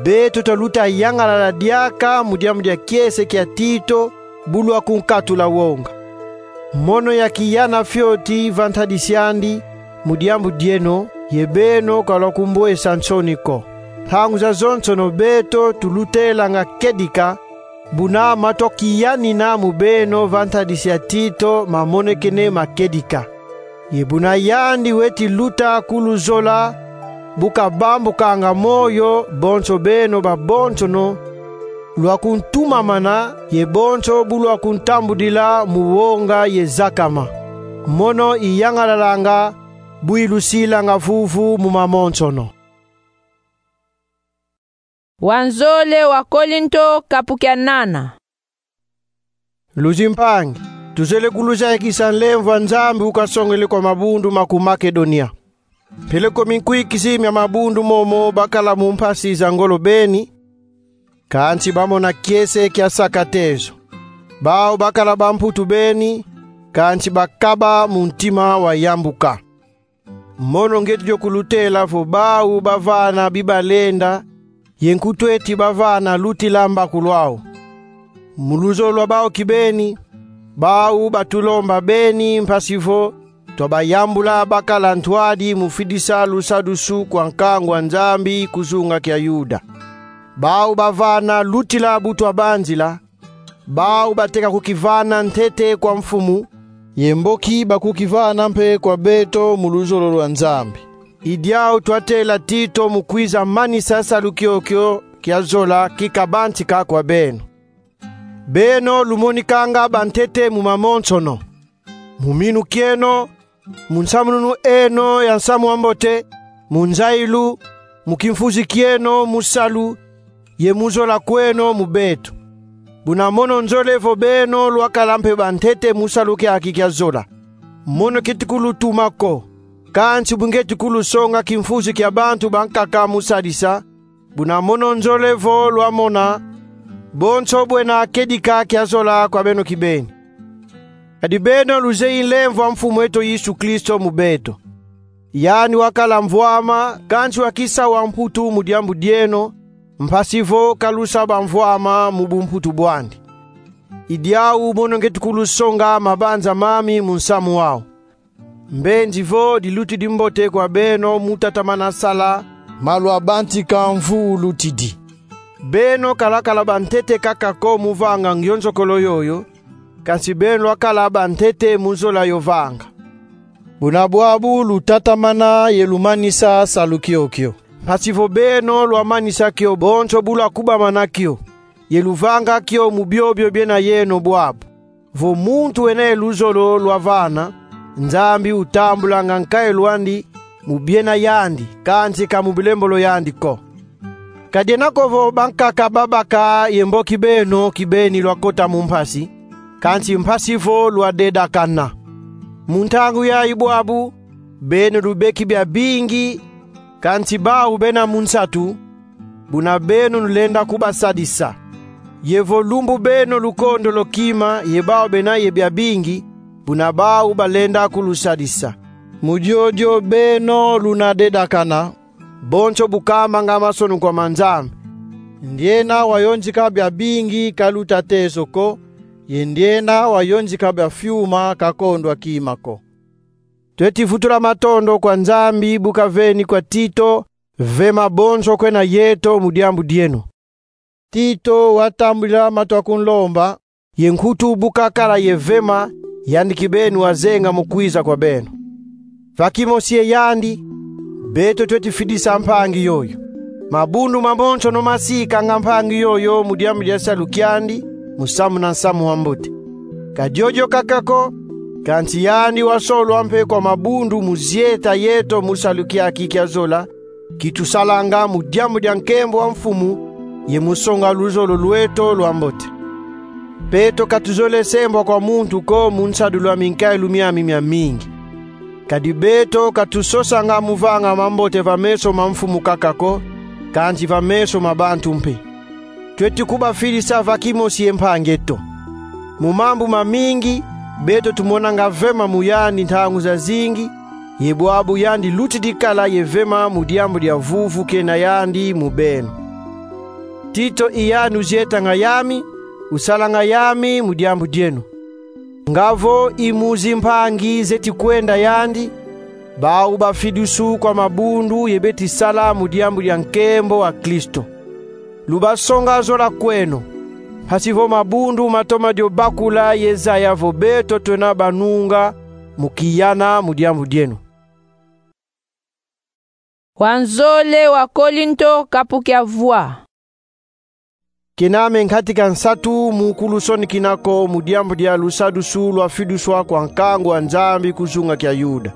beto twaluta yangalala diaka mu diambu dia kiese kia Tito, bu lwakunkatula wonga. Mono yakiyana fioti va ntadisi andi mu diambu dieno, ye beno ka lwakumbwesa nsoni ko. Ntangu zazonsono beto tulutelanga kedika, buna ma twakiyanina mu beno va ntadisi ya Tito mamonekene makedika. Ye buna yandi weti luta kuluzola, bu kabambukanga moyo, bonso beno babonsono lwakuntumamana, ye bonso bu lwakuntambudila mu wonga ye zakama. Mono iyangalalanga bu ilusilanga vuvu mu mamonsono. Wanzole wa Kolinto, kapu kia nana. Luzimpangi, tuzolele kuluzayikisa nlemvo a Nzambi ukasongele kwa mabundu ma ku Makedonia. Mpeleko minkwikisi mia mabundu momo bakala mu mpasi za ngolo beni, kansi bamona kiese kia saka tezo. Bau bakala bamputu beni, kansi bakaba mu ntima wa yambuka. Mono ngieti dio kulutela vo bau bavana bibalenda, ye nkutu eti bavana lutila mbakulu au. Mu luzolo lwa bau kibeni, bau batulomba beni mpasi vo twabayambula bakala ntwadi mu fidisa lusadusu kwa nkangu a Nzambi ku zunga kia Yuda. Bau bavana lutila bu twabanzila, bau bateka kukivana ntete kwa Mfumu, ye mboki bakukivana mpe kwa beto mu luzolo lwa Nzambi. I diau twatela Tito mu kwiza manisa salu kiokio kia zola kikabantika kwa beno. Beno lumonikanga bantete mu mamonsono, mu minu kieno, mu nsamununu eno ya nsamu wa mbote, mu nzayilu, mu kimfuzi kieno, mu salu, ye mu zola kweno mu beto. Buna mono nzolele vo beno lwakala mpe bantete mu salu kiaki kia zola. Mono kieti kulutuma ko, kansi bu ngieti kulusonga kimfuzi kia bantu bankaka mu sadisa, buna mono nzolele vo lwamona bonso bwena kedika kia zola kwa beno kibeni. Kadi beno luzeyi nlemvo a Mfumu eto Yesu Kristo mu beto. Yandi wakala mvwama, kansi wakisa wamputu mu diambu dieno, mpasi vo kalusa bamvwama mu bumputu bwandi. I diau mono ngieti kulusonga mabanza mami mu nsamu wau. Mbenzi vo dilutidi mbote kwa beno mu tatamana sala ma lwabantika mvu ulutidi. Beno ka lwakala bantete kaka ko mu vanga ngionzokolo yoyo, kansi beno lwakala bantete mu zola yo vanga. Buna bwabu lutatamana ye lumanisa salu kiokio. Mpasi vo beno lwamanisa kio bonso bu lwakubamana kio, ye luvanga kio mu biobio biena yeno bwabu. Vo muntu wena ye luzolo lwavana, Nzambi utambulanga nkayilu andi mu biena yandi, kansi ka mu bilembolo yandi ko. Ka diena ko vo bankaka babaka ye mboki beno kibeni lwakota mu mpasi, kansi mpasi vo lwadedakana. Mu ntangu yayi bwabu, beno lubeki biabingi, kansi bau bena mu nsatu, buna beno lulenda kubasadisa. Ye vo lumbu beno lukondolo kima ye bau bena ye biabingi, buna bau balenda kulusadisa. Mu diodio beno luna dedakana, bonso bu kamanga mansoni kwa ma Nzambi. Ndiena wayonzika biabingi kaluta tezo ko, ye ndiena wayonzika biafiuma kakondwa kima ko. Tweti vutula matondo kwa Nzambi bu kaveni kwa Tito vema bonso kwena yeto mu diambu dieno. Tito watambudila ma twakunlomba, ye nkutu bu kakala ye vema, yandi kibeni wazenga mu kwiza kwa beno. Va kimosi ye yandi, beto tweti fidisa mpangi yoyo. Mabundu mamonsono masikanga mpangi yoyo mu diambu dia salu kiandi, mu samuna nsamu wa mbote. Ka diodio kaka ko, kansi yandi wasolwa mpe kwa mabundu mu zieta yeto mu salu kiaki kia zola, ki tusalanga mu diambu dia nkembo wa Mfumu, ye mu songa luzolo lweto lwa mbote. Beto ka tuzolele sembwa kwa muntu ko mu nsadulu a minkayilu miami miamingi. Kadi beto ka tusosanga mu vanga mambote va meso ma Mfumu kaka ko, kansi va meso ma bantu mpe. Tweti kubafidisa va kimosi ye mpangi eto. Mu mambu mamingi, beto tumonanga vema mu yandi ntangu zazingi, ye bwabu yandi lutidi kala ye vema mu diambu dia vuvu kena yandi mu beno. Tito i yandi uzietanga yami, usalanga yami mu diambu dieno. Nga vo i mu zimpangi zeti kwenda yandi, bau bafidusu kwa mabundu ye beti sala mu diambu dia nkembo a Kristo. Lubasonga zola kweno, mpasi vo mabundu matoma dio bakula ye zaya vo beto twena banunga mu kiyana mu diambu dieno. Wanzole wa Kolinto, kapu kia vwa. Kena me nkatika nsatu mu kulusonikina ko mu diambu dia lusadusu lwafiduswa kwa nkangu a Nzambi ku zunga kia Yuda.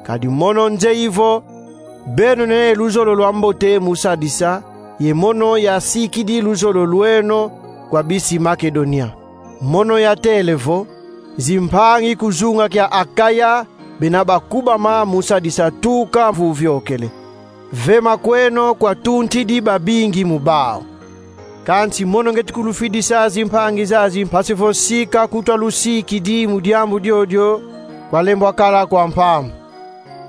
Kadi mono nzeyi vo, beno nene luzolo lwambote mu sadisa, ye mono yasikidi luzolo lweno kwa bisi Makedonia. Mono yatele vo, zimpangi ku zunga kia Akaya bena bakubama mu sadisa tuka mvu viokele. Ve makweno kwatuntidi babingi mu bau. Kansi mono ngieti kulufidisa zimpangi zazi, mpasi vo sika kutwa lusikidi mu diambu diodio kwalembwa kala kwa mpamba.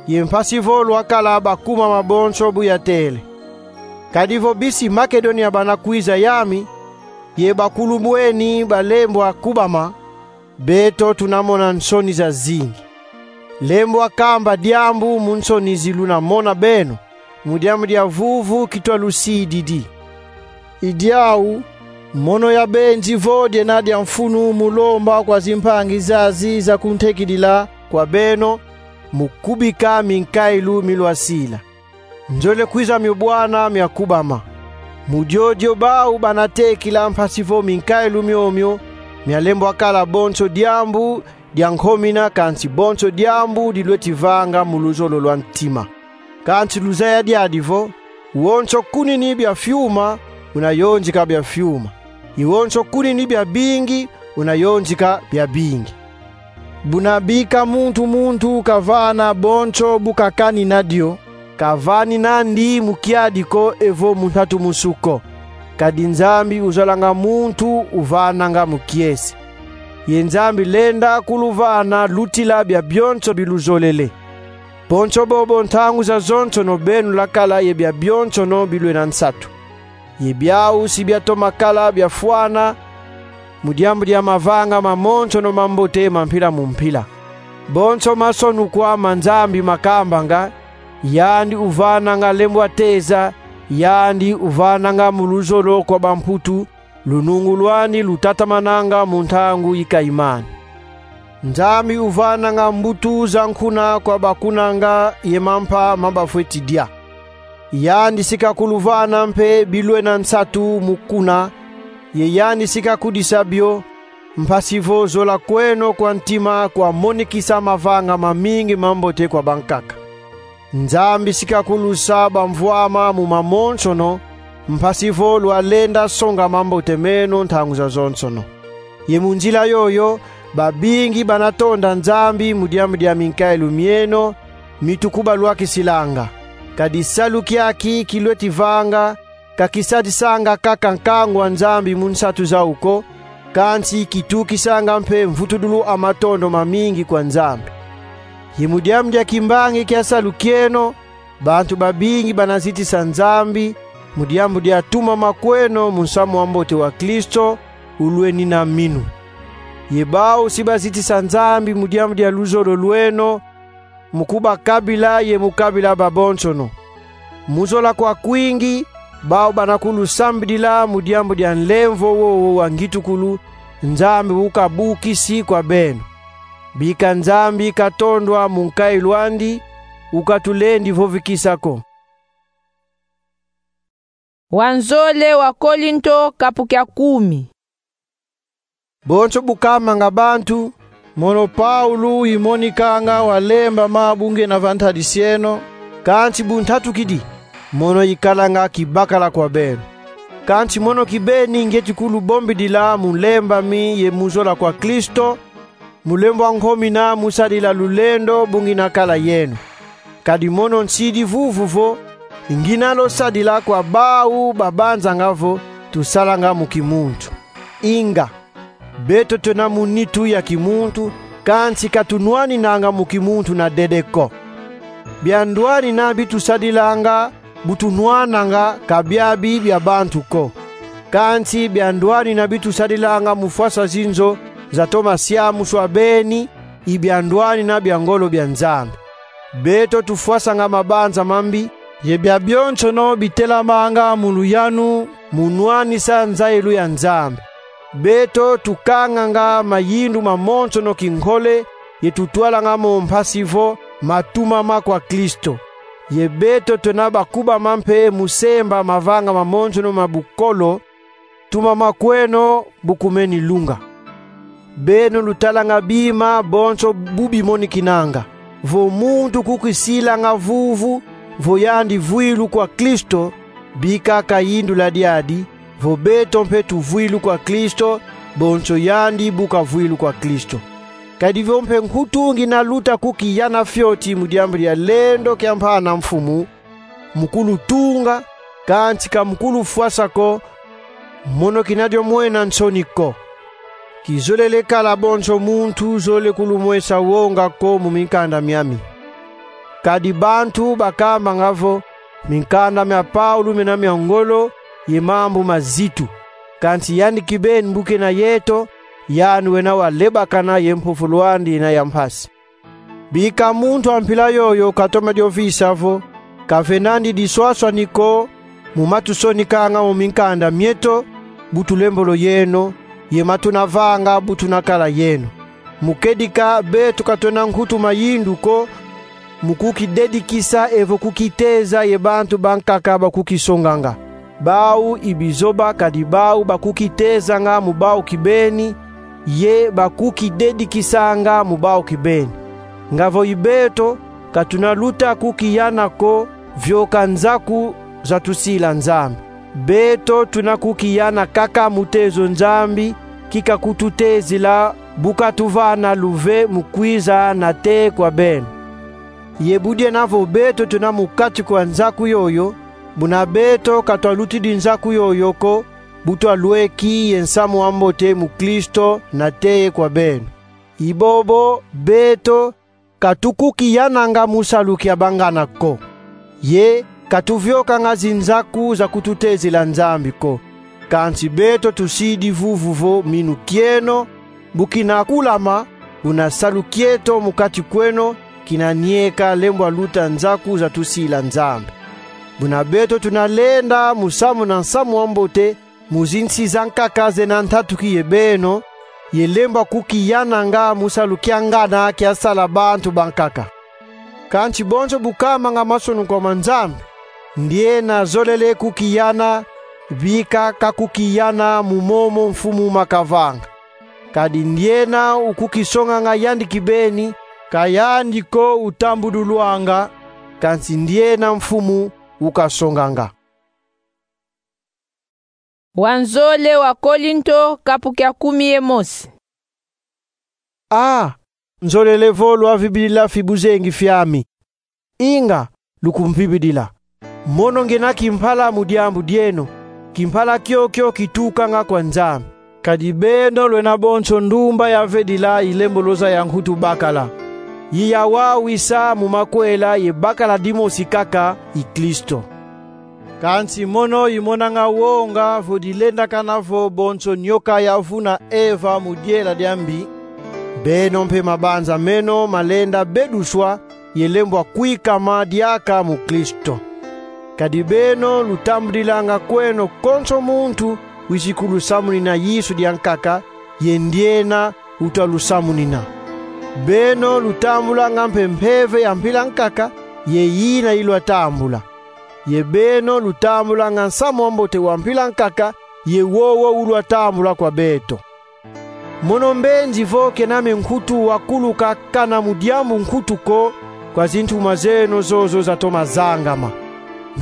Ye mpasi vo lwakala bakubama bonso bu yatele. Kadi vo bisi Makedonia bana kwiza yami, ye bakulu bweni balembwa kubama, beto tuna mona nsoni zazingi. Lembwa kamba diambu mu nsoni zi luna mona beno, mu diambu dia vuvu kitwa lusididi. I diau, mono yabenzi vo diena dia mfunu mu lomba kwa zimpangi zazi za kuntekidila kwa beno, mu kubika minkailu mi lwasila. Nzolele kwiza mio bwana mia kubama. Mu diodio bau bana tekila, mpasi vo minkailu miomio mialembwa kala bonso diambu dia nkomina, kansi bonso diambu di lweti vanga mu luzolo lwa ntima. Kansi luzaya diadi vo, wonso kunini bia fiuma una yonzika bia fiuma, ye wonso kunini bia bingi una yonzika bia bingi. Buna bika muntu muntu kavana bonso bu kakanina dio, kavanina ndi mu kiadi ko evo mu ntatu musu ko. Kadi Nzambi uzolanga muntu uvananga mu kiese. Ye Nzambi lenda kuluvana lutila bia bionso bi luzolele. Bonso bobo, ntangu zazonsono beno lwakala ye bia bionsono bi lwena nsatu. Ye biau si biatoma kala biafwana mu diambu dia mavanga mamonsono mambote ma mpila mu mpila. Bonso masonukwa ma Nzambi makambanga: Yandi uvananga lembwa teza, yandi uvananga mu luzolo kwa bamputu, lunungu lwandi lutatamananga mu ntangu yi kayimani. Nzambi uvananga mbutu za nkuna kwa bakunanga ye mampa ma bafweti dia. Yandi si kakuluvana mpe bi lwena nsatu mu kuna, ye yandi si kakudisa bio, mpasi vo zola kweno kwa ntima kwamonikisa mavanga mamingi mambote kwa bankaka. Nzambi si kakulusa bamvwama mu mamonsono, mpasi vo lwalenda songa mambote meno ntangu zazonsono. Ye mu nzila yoyo, babingi bana tonda Nzambi mu diambu dia minkailu mieno, mi tukubalwakisilanga. Kadi salu kiaki ki lweti vanga, ka kisadisanga kaka nkangu a Nzambi mu nsatu zau ko, kansi kitukisanga mpe mvutudulu a matondo mamingi kwa Nzambi. Ye mu diambu dia kimbangi kia salu kieno, bantu babingi bana zitisa Nzambi mu diambu dia tumama kweno mu nsamu wa mbote wa Kristo ulwenina minu. Ye bau si bazitisa Nzambi mu diambu dia luzolo lweno, mu kubakabila ye mu kabila babonsono. Mu zola kwa kwingi, bau bana kulusambidila mu diambu dia nlemvo wowo wa ngitukulu Nzambi ukabukisi kwa beno. Bika Nzambi katondwa mu nkailu andi, ukatulendi vovikisa ko. Wanzole wa Kolinto, kapu kia kumi. Bonso bu kamanga bantu, mono Paulo imonikanga walembama bu ngena va ntadisi eno, kansi bu ntatukidi, mono ikalanga kibakala kwa beno. Kansi mono kibeni ngieti kulubombidila mu lembami ye mu zola kwa Kristo, mu lembwa nkomina mu sadila lulendo bu ngina kala yeno. Kadi mono nsidi vuvu vo, ngina lwasadila kwa bau babanzanga vo tusalanga mu kimuntu. Inga, beto twena mu nitu ya kimuntu, kansi ka tunwaninanga mu kimuntu na dede ko. Bia ndwanina bi tusadilanga bu tunwananga ka biabi bia bantu ko. Kansi bia ndwanina bi tusadilanga mu fwasa zinzo zatoma siamuswa beni, i bia ndwanina bia ngolo bia Nzambi. Beto tufwasanga mabanza mambi, ye bia bionsono bitelamanga mu luyanu mu nwanisa nzayilu ya Nzambi. Beto tukanganga mayindu mamonsono kinkole, ye tutwalanga mo mpasi vo matumama kwa Kristo. Ye beto twena bakubama mpe mu semba mavanga mamonsono ma bukolo, tumama kweno bu kumeni lunga. Beno lutalanga bima bonso bu bimonikinanga. vo muntu kukisilanga vuvu vo yandi vwilu kwa Kristo, bika kayindula diadi vo beto mpe tuvwilu kwa Kristo, bonso yandi bu kavwilu kwa Kristo. Kadi vo mpe nkutu ngina luta kukiyana fioti mu diambu dia lendo kia mpana Mfumu, mu kulutunga, kansi ka mu kulufwasa ko, mono kina dio mwena nsoni ko. Kizolele kala bonso muntu zole kulumwesa wonga ko mu minkanda miami. Kadi bantu bakambanga vo minkanda mia Paulo mena mia ngolo ye mambu mazitu. Kansi yandi kibeni bu kena yeto, yandi wena walebakana ye mpovolo andi yina ya mpasi. Bika muntu a mpila yoyo katoma dio visa vo kavenandi diswaswani ko mu ma tusonikanga mu minkanda mieto bu tulembolo yeno, ye ma tuna vanga bu tuna kala yeno. Mu kedika beto ka twena nkutu mayindu ko mu kukidedikisa evo kukiteza ye bantu bankaka bakukisonganga. Bau i bizoba, kadi bau bakukitezanga mu bau kibeni, ye bakukidedikisanga mu bau kibeni. Nga vo i beto, ka tuna luta kukiyana ko vioka nzaku za tusila Nzambi. Beto tuna kukiyana kaka mu tezo Nzambi ki kakututezila bu katuvana luve mu kwiza nate kwa beno. Ye bu diena vo beto tuna mu kati kwa nzaku yoyo, buna beto ka twalutidi nzaku yoyo ko, bu twalweki ye nsamu wa mbote mu Kristo nate kwa beno. I bobo beto ka tukukiyananga mu salu kia bangana ko, ye ka tuviokanga zinzaku za kututezila Nzambi ko. Kansi beto tusidi vuvu vo minu kieno bu kina kulama, buna salu kieto mu kati kweno kina nieka lembwa luta nzaku za tusila Nzambi. Buna beto tuna lenda mu samuna nsamu wa mbote mu zinsi zankaka zena ntatuki ye beno, ye lembwa kukiyananga mu salu kia ngana kia sala bantu bankaka. Kansi bonso bu kamanga masonukwa ma Nzambi, ndiena zolele kukiyana, bika ka kukiyana mu momo Mfumu makavanga. Kadi ndiena ukukisonganga yandi kibeni, ka yandi ko utambudulwanga, kansi ndiena Mfumu ukasonganga. Wanzole wa Kolinto, kapu kia kumi ye mosi. A, nzolele vo lwavibidila fibuzengi fiami. Inga, lukumvibidila. Mono ngina kimpala mu diambu dieno, kimpala kiokio kitukanga kwa Nzambi. Kadi beno lwena bonso ndumba ya vedila i lemboloza ya nkutu bakala, ye ya wawisa mu makwela ye bakala dimosi kaka, i Kristo. Kansi mono i monanga wonga vo dilendakana vo bonso nyoka yavuna Eva mu diela dia mbi, beno mpe mabanza meno malenda beduswa ye lembwa kwikama diaka mu Kristo. Kadi beno lutambudilanga kweno konso muntu wizi kulusamunina Yesu diankaka, ye ndiena utwa lusamunina. Beno lutambulanga mpe Mpeve ya mpila nkaka ye yina ilwatambula. Ye beno lutambulanga Nsamu wa Mbote wa mpila nkaka ye wowo ulwatambula kwa beto. Mono mbenzi vo kena me nkutu wakuluka kana mu diambu nkutu ko kwa zintuma zeno zozo zatoma zangama.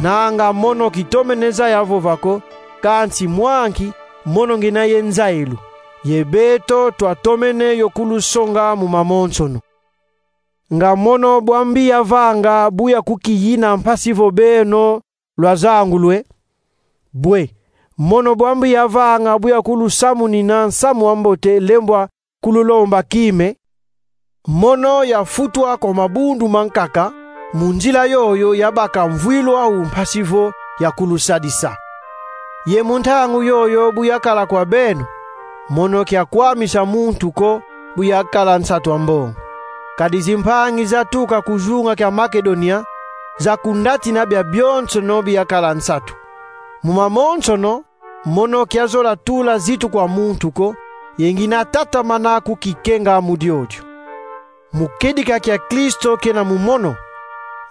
Nanga mono kitomene zaya vova ko, kansi mwa nki mono ngina ye nzayilu, ye beto twatomene yo kulusonga mu mamonsono. Nga mono bwa mbi yavanga bu ya kukiyina mpasi vo beno lwazangulwe? Bwe, mono bwa mbi yavanga bu ya kulusamunina Nsamu wa Mbote lembwa kululomba kime? Mono yafutwa kwa mabundu mankaka, mu nzila yoyo yabaka mvwilu au mpasi vo ya kulusadisa. Ye mu ntangu yoyo bu yakala kwa beno, mono kiakwamisa muntu ko bu yakala nsatu a mbongo. Kadi zimpangi zatuka ku zunga kia Makedonia zakundatina biabionsono bi yakala nsatu. Mu mamonsono, mono kiazola tula zitu kwa muntu ko, ye ngina tatamana kukikenga mu diodio. Mu kedika kia Kristo kena mu mono.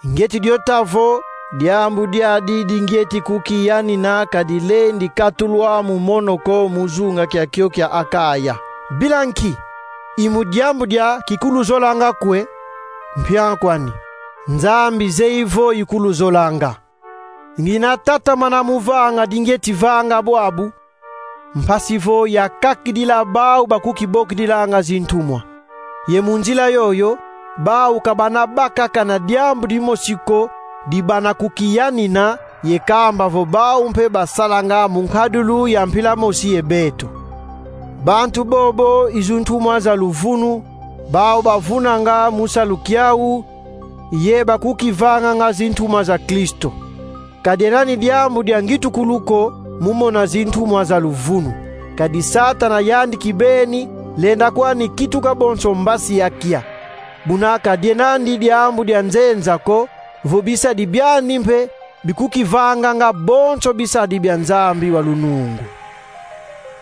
Ngieti dio ta vo, diambu diadi di ngieti kukiyanina ka dilendi katulwa mu mono ko mu zunga kiakio kia Akaya. Bila nki? I mu diambu dia kikuluzolanga kwe, Mpia kwani, Nzambi zeyi vo ikuluzolanga. Ngina tatamana mu vanga di ngieti vanga bwabu, mpasi vo yakakidila bau bakukibokidilanga zintumwa. Ye mu nzila yoyo, bau ka bana bakaka na diambu dimosi ko di bana kukiyanina, ye kamba vo bau mpe basalanga mu nkadulu ya mpila mosi ye beto. Bantu bobo i zintumwa za luvunu, bau bavunanga mu salu kiau, ye bakukivanganga zintumwa za Kristo. Ka diena ni diambu dia ngitukulu ko mu mona zintumwa za luvunu. Kadi Satana yandi kibeni lenda kwani kituka bonso mbasi ya kia. Buna ka diena ni diambu dia nzenza ko, vo bisadi biandi mpe bikukivanganga bonso bisadi bia Nzambi wa lunungu.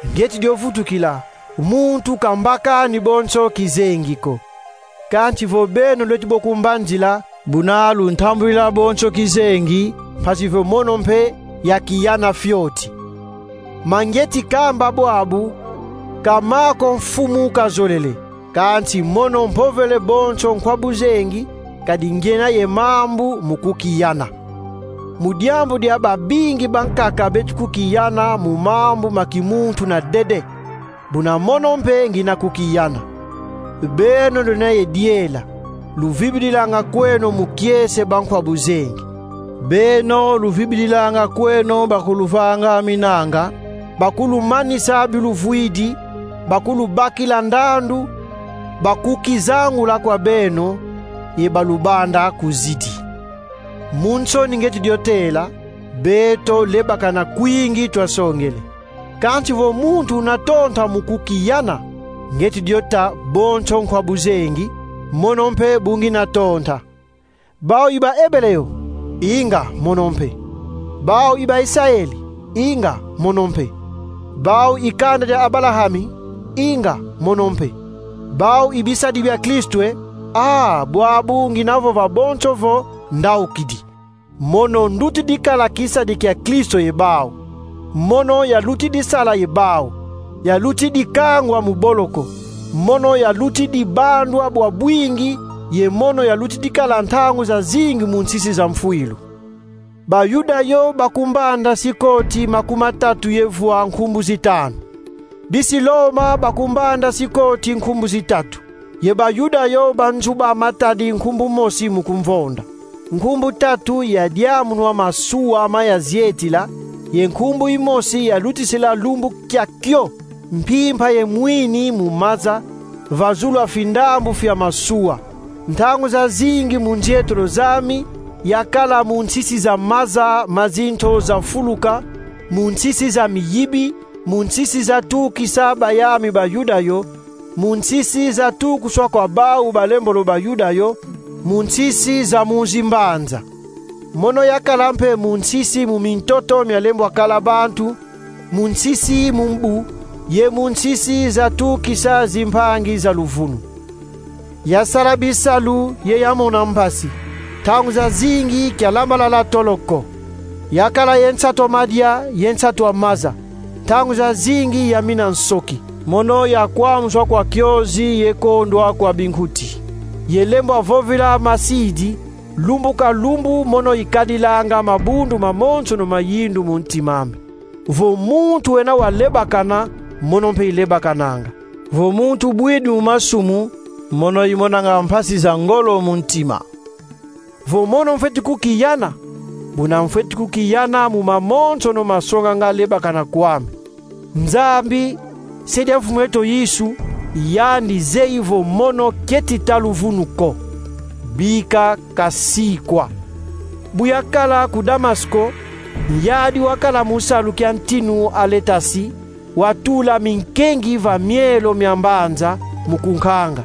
Ngieti dio vutukila, muntu ka mbakani bonso kizengi ko. Kansi vo beno lweti bo kumbanzila, buna luntambudila bonso kizengi, mpasi vo mono mpe yakiyana fioti. Ma ngieti kamba bwabu, ka ma ko Mfumu kazolele, kansi mono mpovele bonso nkwa buzengi, kadi ngiena ye mambu mu kukiyana. Mu diambu dia babingi bankaka beti kukiyana mu mambu ma kimuntu na dede, buna mono mpe ngina kukiyana. Beno lwena ye diela, luvibidilanga kweno mu kiese bankwa buzengi. Beno luvibidilanga kweno bakuluvanga minanga, bakulumanisa biluvwidi, bakulubakila ndandu, bakukizangula kwa beno, ye balubanda kuzidi. Mu nsoni ngieti dio tela, beto lebakana kwingi twasongele. Kansi vo muntu una tonta mu kukiyana, ngieti dio ta bonso nkwa buzengi, mono mpe bu ngina tonta. Bau i ba Ebele yo? Inga, mono mpe. Bau i ba Isaeli? Inga, mono mpe. Bau i kanda dia Abalahami? Inga, mono mpe. Bau i bisadi bia Kristo e? Ah, bwabu ngina vova bonso vo ndaukidi. Mono ndutidi kala kisadi kia Kristo ye bau. Mono yalutidi sala ye bau. Yalutidi kangwa mu boloko. Mono yalutidi bandwa bwa bwingi, ye mono yalutidi kala ntangu zazingi mu nsisi za mfwilu. Bayuda yo bakumbanda sikoti makumatatu ye vwa nkumbu zitanu. Bisi Loma bakumbanda sikoti nkumbu zitatu. Ye Bayuda yo banzuba matadi nkumbu mosi mu kumvonda. Nkumbu tatu ya diamunwa masuwa ma yazietila, ye nkumbu imosi yalutisila lumbu kiakio mpimpa ye mwini mu maza, va zulu a findambu fia masuwa. Ntangu zazingi mu nzietolo zami, yakala mu nsisi za maza ma zinto za fuluka, mu nsisi za miyibi, mu nsisi za tukisa bayami Bayuda yo, mu nsisi za tukuswa kwa bau balembolo Bayuda yo, mu nsisi za mu zimbanza. Mono yakala mpe mu nsisi mu mintoto mia lembwa kala bantu, mu nsisi mu mbu, ye mu nsisi za tukisa zimpangi za luvunu. Yasala bisalu ye yamona mpasi. Ntangu zazingi kialambalala tolo ko. Yakala ye nsatu a madia ye nsatu a maza. Ntangu zazingi yamina nsoki. Mono yakwamuswa kwa kiozi ye kondwa kwa binkuti. Ye lembwa vovila masidi, lumbu ka lumbu mono ikadilanga mabundu mamonsono ma yindu mu ntima ame. Vo muntu wena walebakana, mono mpe ilebakananga. Vo muntu bwidi mu masumu, mono imonanga mpasi za ngolo mu ntima. Vo mono mfweti kukiyana, buna mfweti kukiyana mu mamonsono masonganga lebakana kwame. Nzambi, Se dia Mfumu eto Yesu, yandi zeyi vo mono kieti ta luvunu ko. Bika kasikwa. Bu yakala ku Damasko, nyadi wakala mu salu kia ntinu a letasi, watula minkengi va mielo mia mbanza mu kunkanga.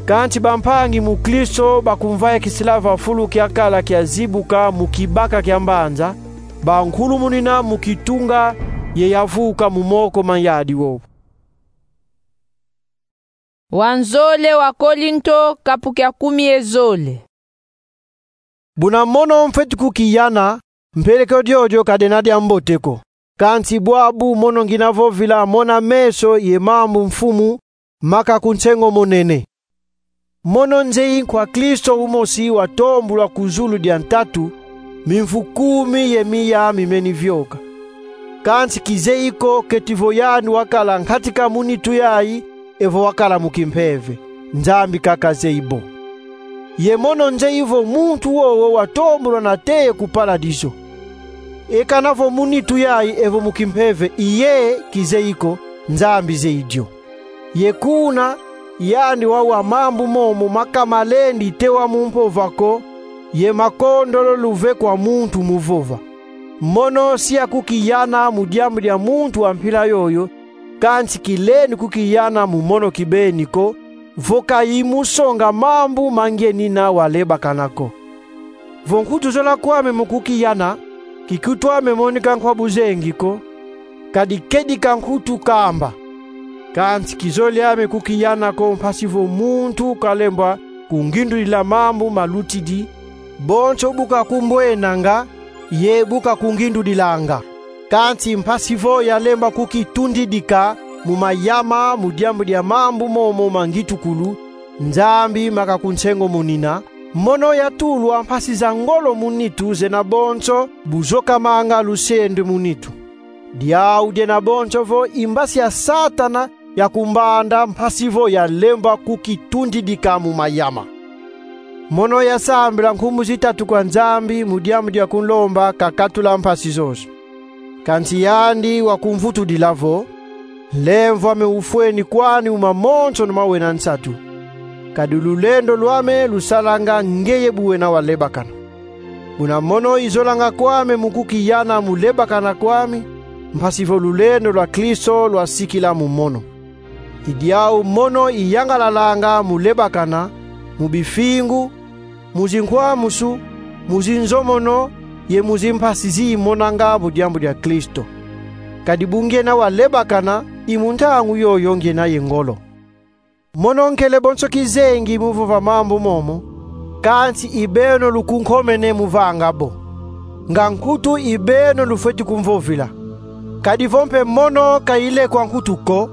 Kansi bampangi mu Kristo bakumvaikisila va fulu kiakala kiazibuka mu kibaka kia mbanza, bankulumunina mu kitunga ye yavuka mu moko ma nyadi wowo. Wanzole wa Kolinto, kapu kia kumi ye zole. Buna mono mfweti kukiyana, mpeleko diodio ka diena dia mbote ko. Kansi bwabu mono ngina vovila mona meso ye mambu Mfumu maka ku nsengo monene. Mono nzeyi nkwa Kristo umosi watombulwa ku zulu dia ntatu, mimvu kumi ye miya mimeni vioka. Kansi kizeyi ko keti vo yandi wakala nkatika mu nitu yayi, evo wakala mu kimpeve. Nzambi kaka zeyi bo. Ye mono nzeyi vo muntu wowo watombulwa nate ye ku paradizo. E kana vo mu nitu yayi evo mu kimpeve i yeye, kizeyi ko, Nzambi zeyi dio. Ye kuna, yandi wawa mambu momo maka malendi tewa mu mpova ko, ye makondolo luve kwa muntu mu vova. Mono si akukiyana mu diambu dia muntu wa mpila yoyo, kansi kilendi kukiyana mu mono kibeni ko, vo ka i mu songa mambu ma ngienina walebakana ko. Vo nkutu zola kwame mu kukiyana, kikutwame monika nkwa buzengi ko, kadi kedika nkutu kamba. Kansi kizolame kukiyana ko mpasi vo muntu kalemba kungindudila mambu malutidi, bonso bu kakumbwenanga, ye bu kakungindudilanga. Kansi mpasi vo yalemba kukitundidika mu mayama mu diambu dia mambu momo ma ngitukulu, Nzambi makakunsengomonina, mono yatulwa mpasi za ngolo mu nitu zena bonso bu zokamanga lusende mu nitu. Diau diena bonso vo i mbasi ya Satana ya kumbanda mpasi vo yalemba kukitundidika mu mayama. Mono yasambila nkumbu zitatu kwa Nzambi mu diambu dia kunlomba kakatula mpasi zozo. Kansi yandi wakumvutudila vo: Nlemvo ame ufweni kwani mu mamonsono ma wena nsatu, kadi lulendo lwame lusalanga ngeye bu wena walebakana. Buna mono izolanga kwame mu kukiyana mu lebakana kwami, mpasi vo lulendo lwa Kristo lwasikila mu mono. I diau mono iyangalalanga mu lebakana, mu bifingu, mu zinkwamusu, mu zinzomono, ye mu zimpasi zi imonanga mu diambu dia Kristo. Kadi bu ngena walebakana, i mu ntangu yoyo ngena ye ngolo. Mono nkele bonso kizengi mu vova mambu momo, kansi i beno lukunkomene mu vanga bo. Nga nkutu i beno lufweti kumvovila. Kadi vo mpe mono ka ilekwa nkutu ko,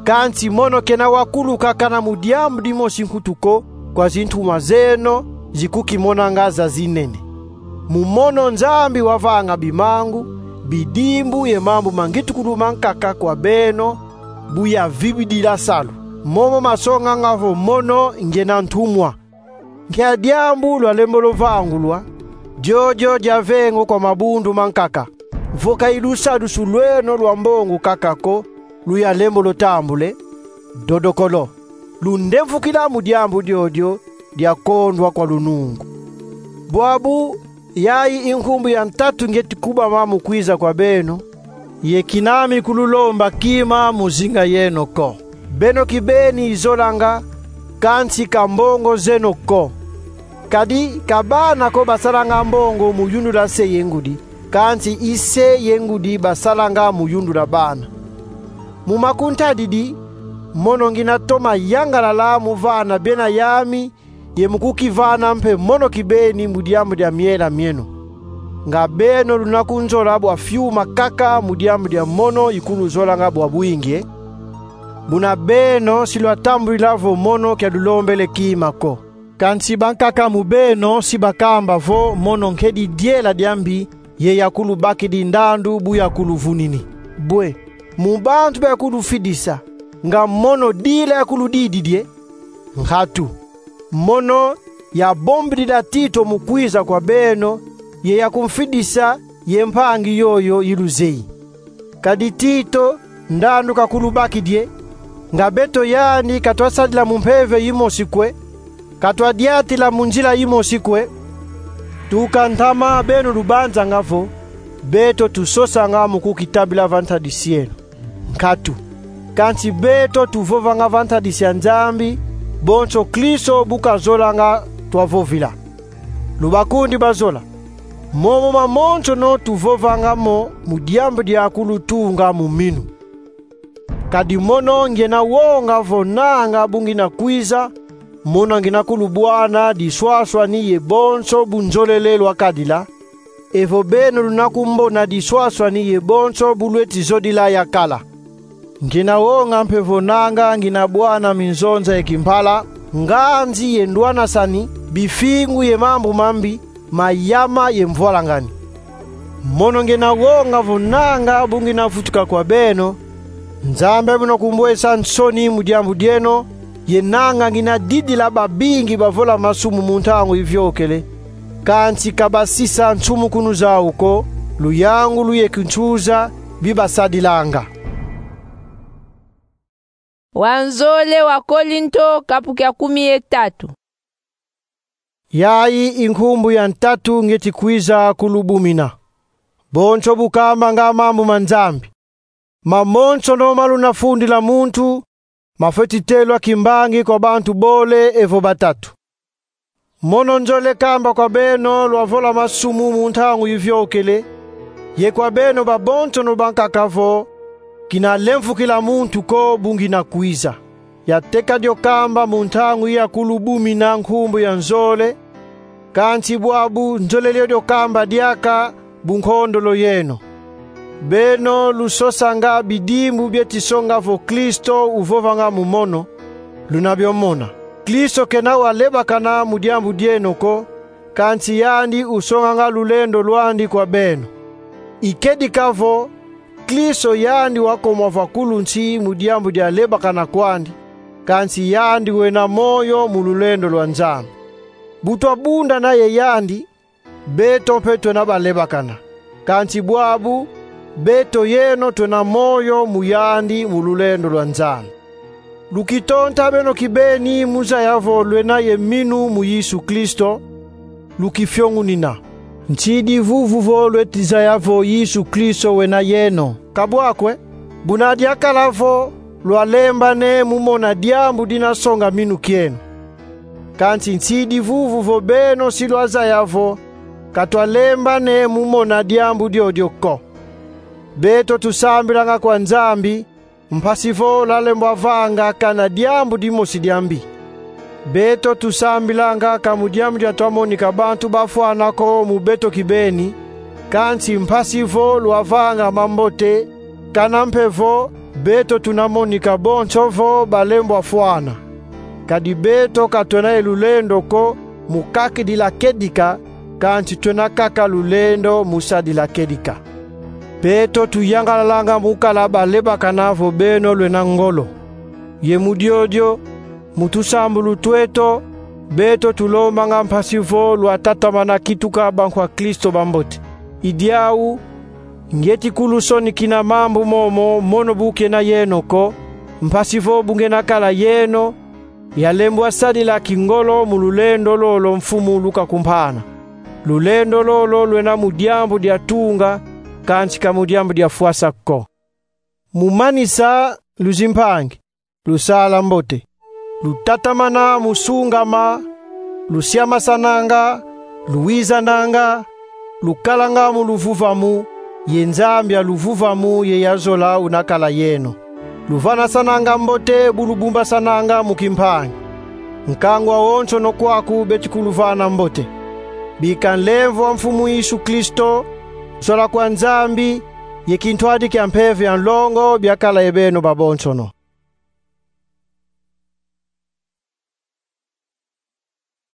kansi mono kena wakulu kakana mu diambu dimosi nkutu ko kwa zintumwa zeno zikukimonanga zazinene. Mu mono Nzambi wavanga bimangu, bidimbu ye mambu ma ngitukulu mankaka kwa beno, bu yavibidila salu. Momo masonganga vo mono ngena ntumwa. Nkia diambu lwalembolo vangulwa? Diodio diavengo kwa mabundu mankaka. Vo ka i lusadusu lweno lwa mbongo kaka ko luyalembolo tambule, dodokolo, lundemvukila mu diambu diodio dia kondwa kwa lunungu. Bwabu, yayi i nkumbu ya ntatu ngieti kubama mu kwiza kwa beno, ye kinami kululomba kima mu zinga yeno ko. Beno kibeni izolanga, kansi ka mbongo zeno ko. Kadi ka bana ko basalanga mbongo mu yundula se ye ngudi, kansi i se ye ngudi basalanga mu yundula bana. Mu makuntadidi, mono ngina toma yangalala mu vana bena yami, ye mu kukivana mpe mono kibeni mu diambu dia miela mieno. Nga beno luna kunzola bwa fiuma kaka mu diambu dia mono ikuluzolanga bwa bwingi, e? Buna beno si lwatambudila vo mono kia lulombele kima ko. Kansi bankaka mu beno si bakamba vo mono nkedi diela dia mbi, ye yakulubakidi ndandu bu yakuluvunini. Bwe, mu bantu ba yakulufidisa, nga mono dila yakuludididi, e? Nkatu. Mono yabombidila Tito mu kwiza kwa beno, ye yakumfidisa ye mpangi yoyo iluzeyi. Kadi Tito, ndandu kakulubakidi, e? Nga beto yandi ka twasadila mu mpeve yimosi kwe, ka twadiatila mu nzila yimosi kwe? Tuka ntama beno lubanzanga vo beto tusosanga mu kukitabila va ntadisi yeno. Nkatu. Kansi beto tuvovanga va ntadisi ya Nzambi, bonso Kristo bu kazolanga twavovila. Lubakundi bazola. Momo mamonsono tuvovanga mo mu diambu dia kulutunga mu minu. Kadi mono ngina wonga vo nanga bu ngina kwiza, mono ngina kulubwana diswaswani ye bonso bunzolele lwakadila, evo beno luna kumbona diswaswani ye bonso bu lweti zodila yakala. Ngina wonga mpe vo nanga ngina bwana minzonza ye kimpala, nganzi ye ndwanasani, bifingu ye mambu mambi, mayama ye mvwalangani. Mono ngina wonga vo nanga bu ngina vutuka kwa beno, Nzambi a beno kumbwesa nsoni mu diambu dieno, ye nanga ngina didila babingi bavola masumu mu ntangu iviokele, kansi ka basisa nsumukunu zau ko, luyangu lu ye kinsuza bibasadilanga. Wa nzole wa Kolinto, kapu kia kumi ye tatu. Yayi i nkumbu ya ntatu ngeti kwiza kulubumina. Bonso bu kamba nga mambu ma Nzambi. Mamonsono ma luna fundila muntu, mafweti telwa kimbangi kwa bantu bole evo batatu. Mono nzole kamba kwa beno lwavola masumu mu ntangu iviokele, ye kwa beno babonsono bankaka vo, kina lemfukila muntu ko bu ngina kwiza. Yateka dio kamba mu ntangu ya kulubumina nkumbu ya nzole, kansi bwabu nzolele dio kamba diaka bu nkondolo yeno. Beno lusosanga bidimbu bieti songa vo Kristo uvovanga mu mono, luna bio mona. Kristo kena walebakana mu diambu dieno ko, kansi yandi usonganga lulendo lwandi kwa beno. I kedika vo, Kristo yandi wakoma vakulu nsi mu diambu dia lebakana kwandi, kansi yandi wena moyo mu lulendo lwa Nzambi. Bu twabundana ye yandi, beto mpe twena balebakana. Kansi bwabu, beto yeno twena moyo mu yandi mu lulendo lwa Nzambi. Lukitonta beno kibeni mu zaya vo lwena ye minu mu Yesu Kristo, lukifiongunina. Nsidi vuvu vo lweti zaya vo Yesu Kristo wena yeno. Ka bwa kwe, buna diakala vo lwalembane mu mona diambu dina songa minu kieno. Kansi nsidi vuvu vo beno si lwazaya vo ka twalembane mu mona diambu diodio ko. Beto tusambilanga kwa Nzambi, mpasi vo lwalembwa vanga kana diambu dimosi dia mbi. Beto tusambilanga ka mu diambu dia twamonika bantu bafwana ko mu beto kibeni, kansi mpasi vo lwavanga mambote, kana mpe vo beto tuna monika bonso vo balembwa fwana. Kadi beto ka twena ye lulendo ko mu kakidila kedika, kansi twena kaka lulendo mu sadila kedika. Beto tuyangalalanga mu kala balebakana vo beno lwena ngolo. Ye mu diodio, mu tusambulu tweto, beto tulombanga mpasi vo lwatatamana kituka bankwa Kristo bambote. I diau, ngieti kulusonikina mambu momo mono bu kena yeno ko, mpasi vo bu ngena kala yeno, yalembwa sadila kingolo mu lulendo lolo Mfumu lukakumpana. Lulendo lolo lwena mu diambu dia tunga, kansi ka mu diambu dia fwasa ko. Mu manisa, luzimpangi, lusala mbote. Lutatamana mu sungama, lusiamasananga, luwizananga, lukalanga mu luvuvamu, ye Nzambi a luvuvamu ye ya zola una kala yeno. Luvanasananga mbote bu lubumbasananga mu kimpangi. Nkangu awonsono kwaku beti kuluvana mbote. Bika nlemvo a Mfumu Yesu Kristo, zola kwa Nzambi, ye kintwadi kia Mpeve ya nlongo biakala ye beno babonsono.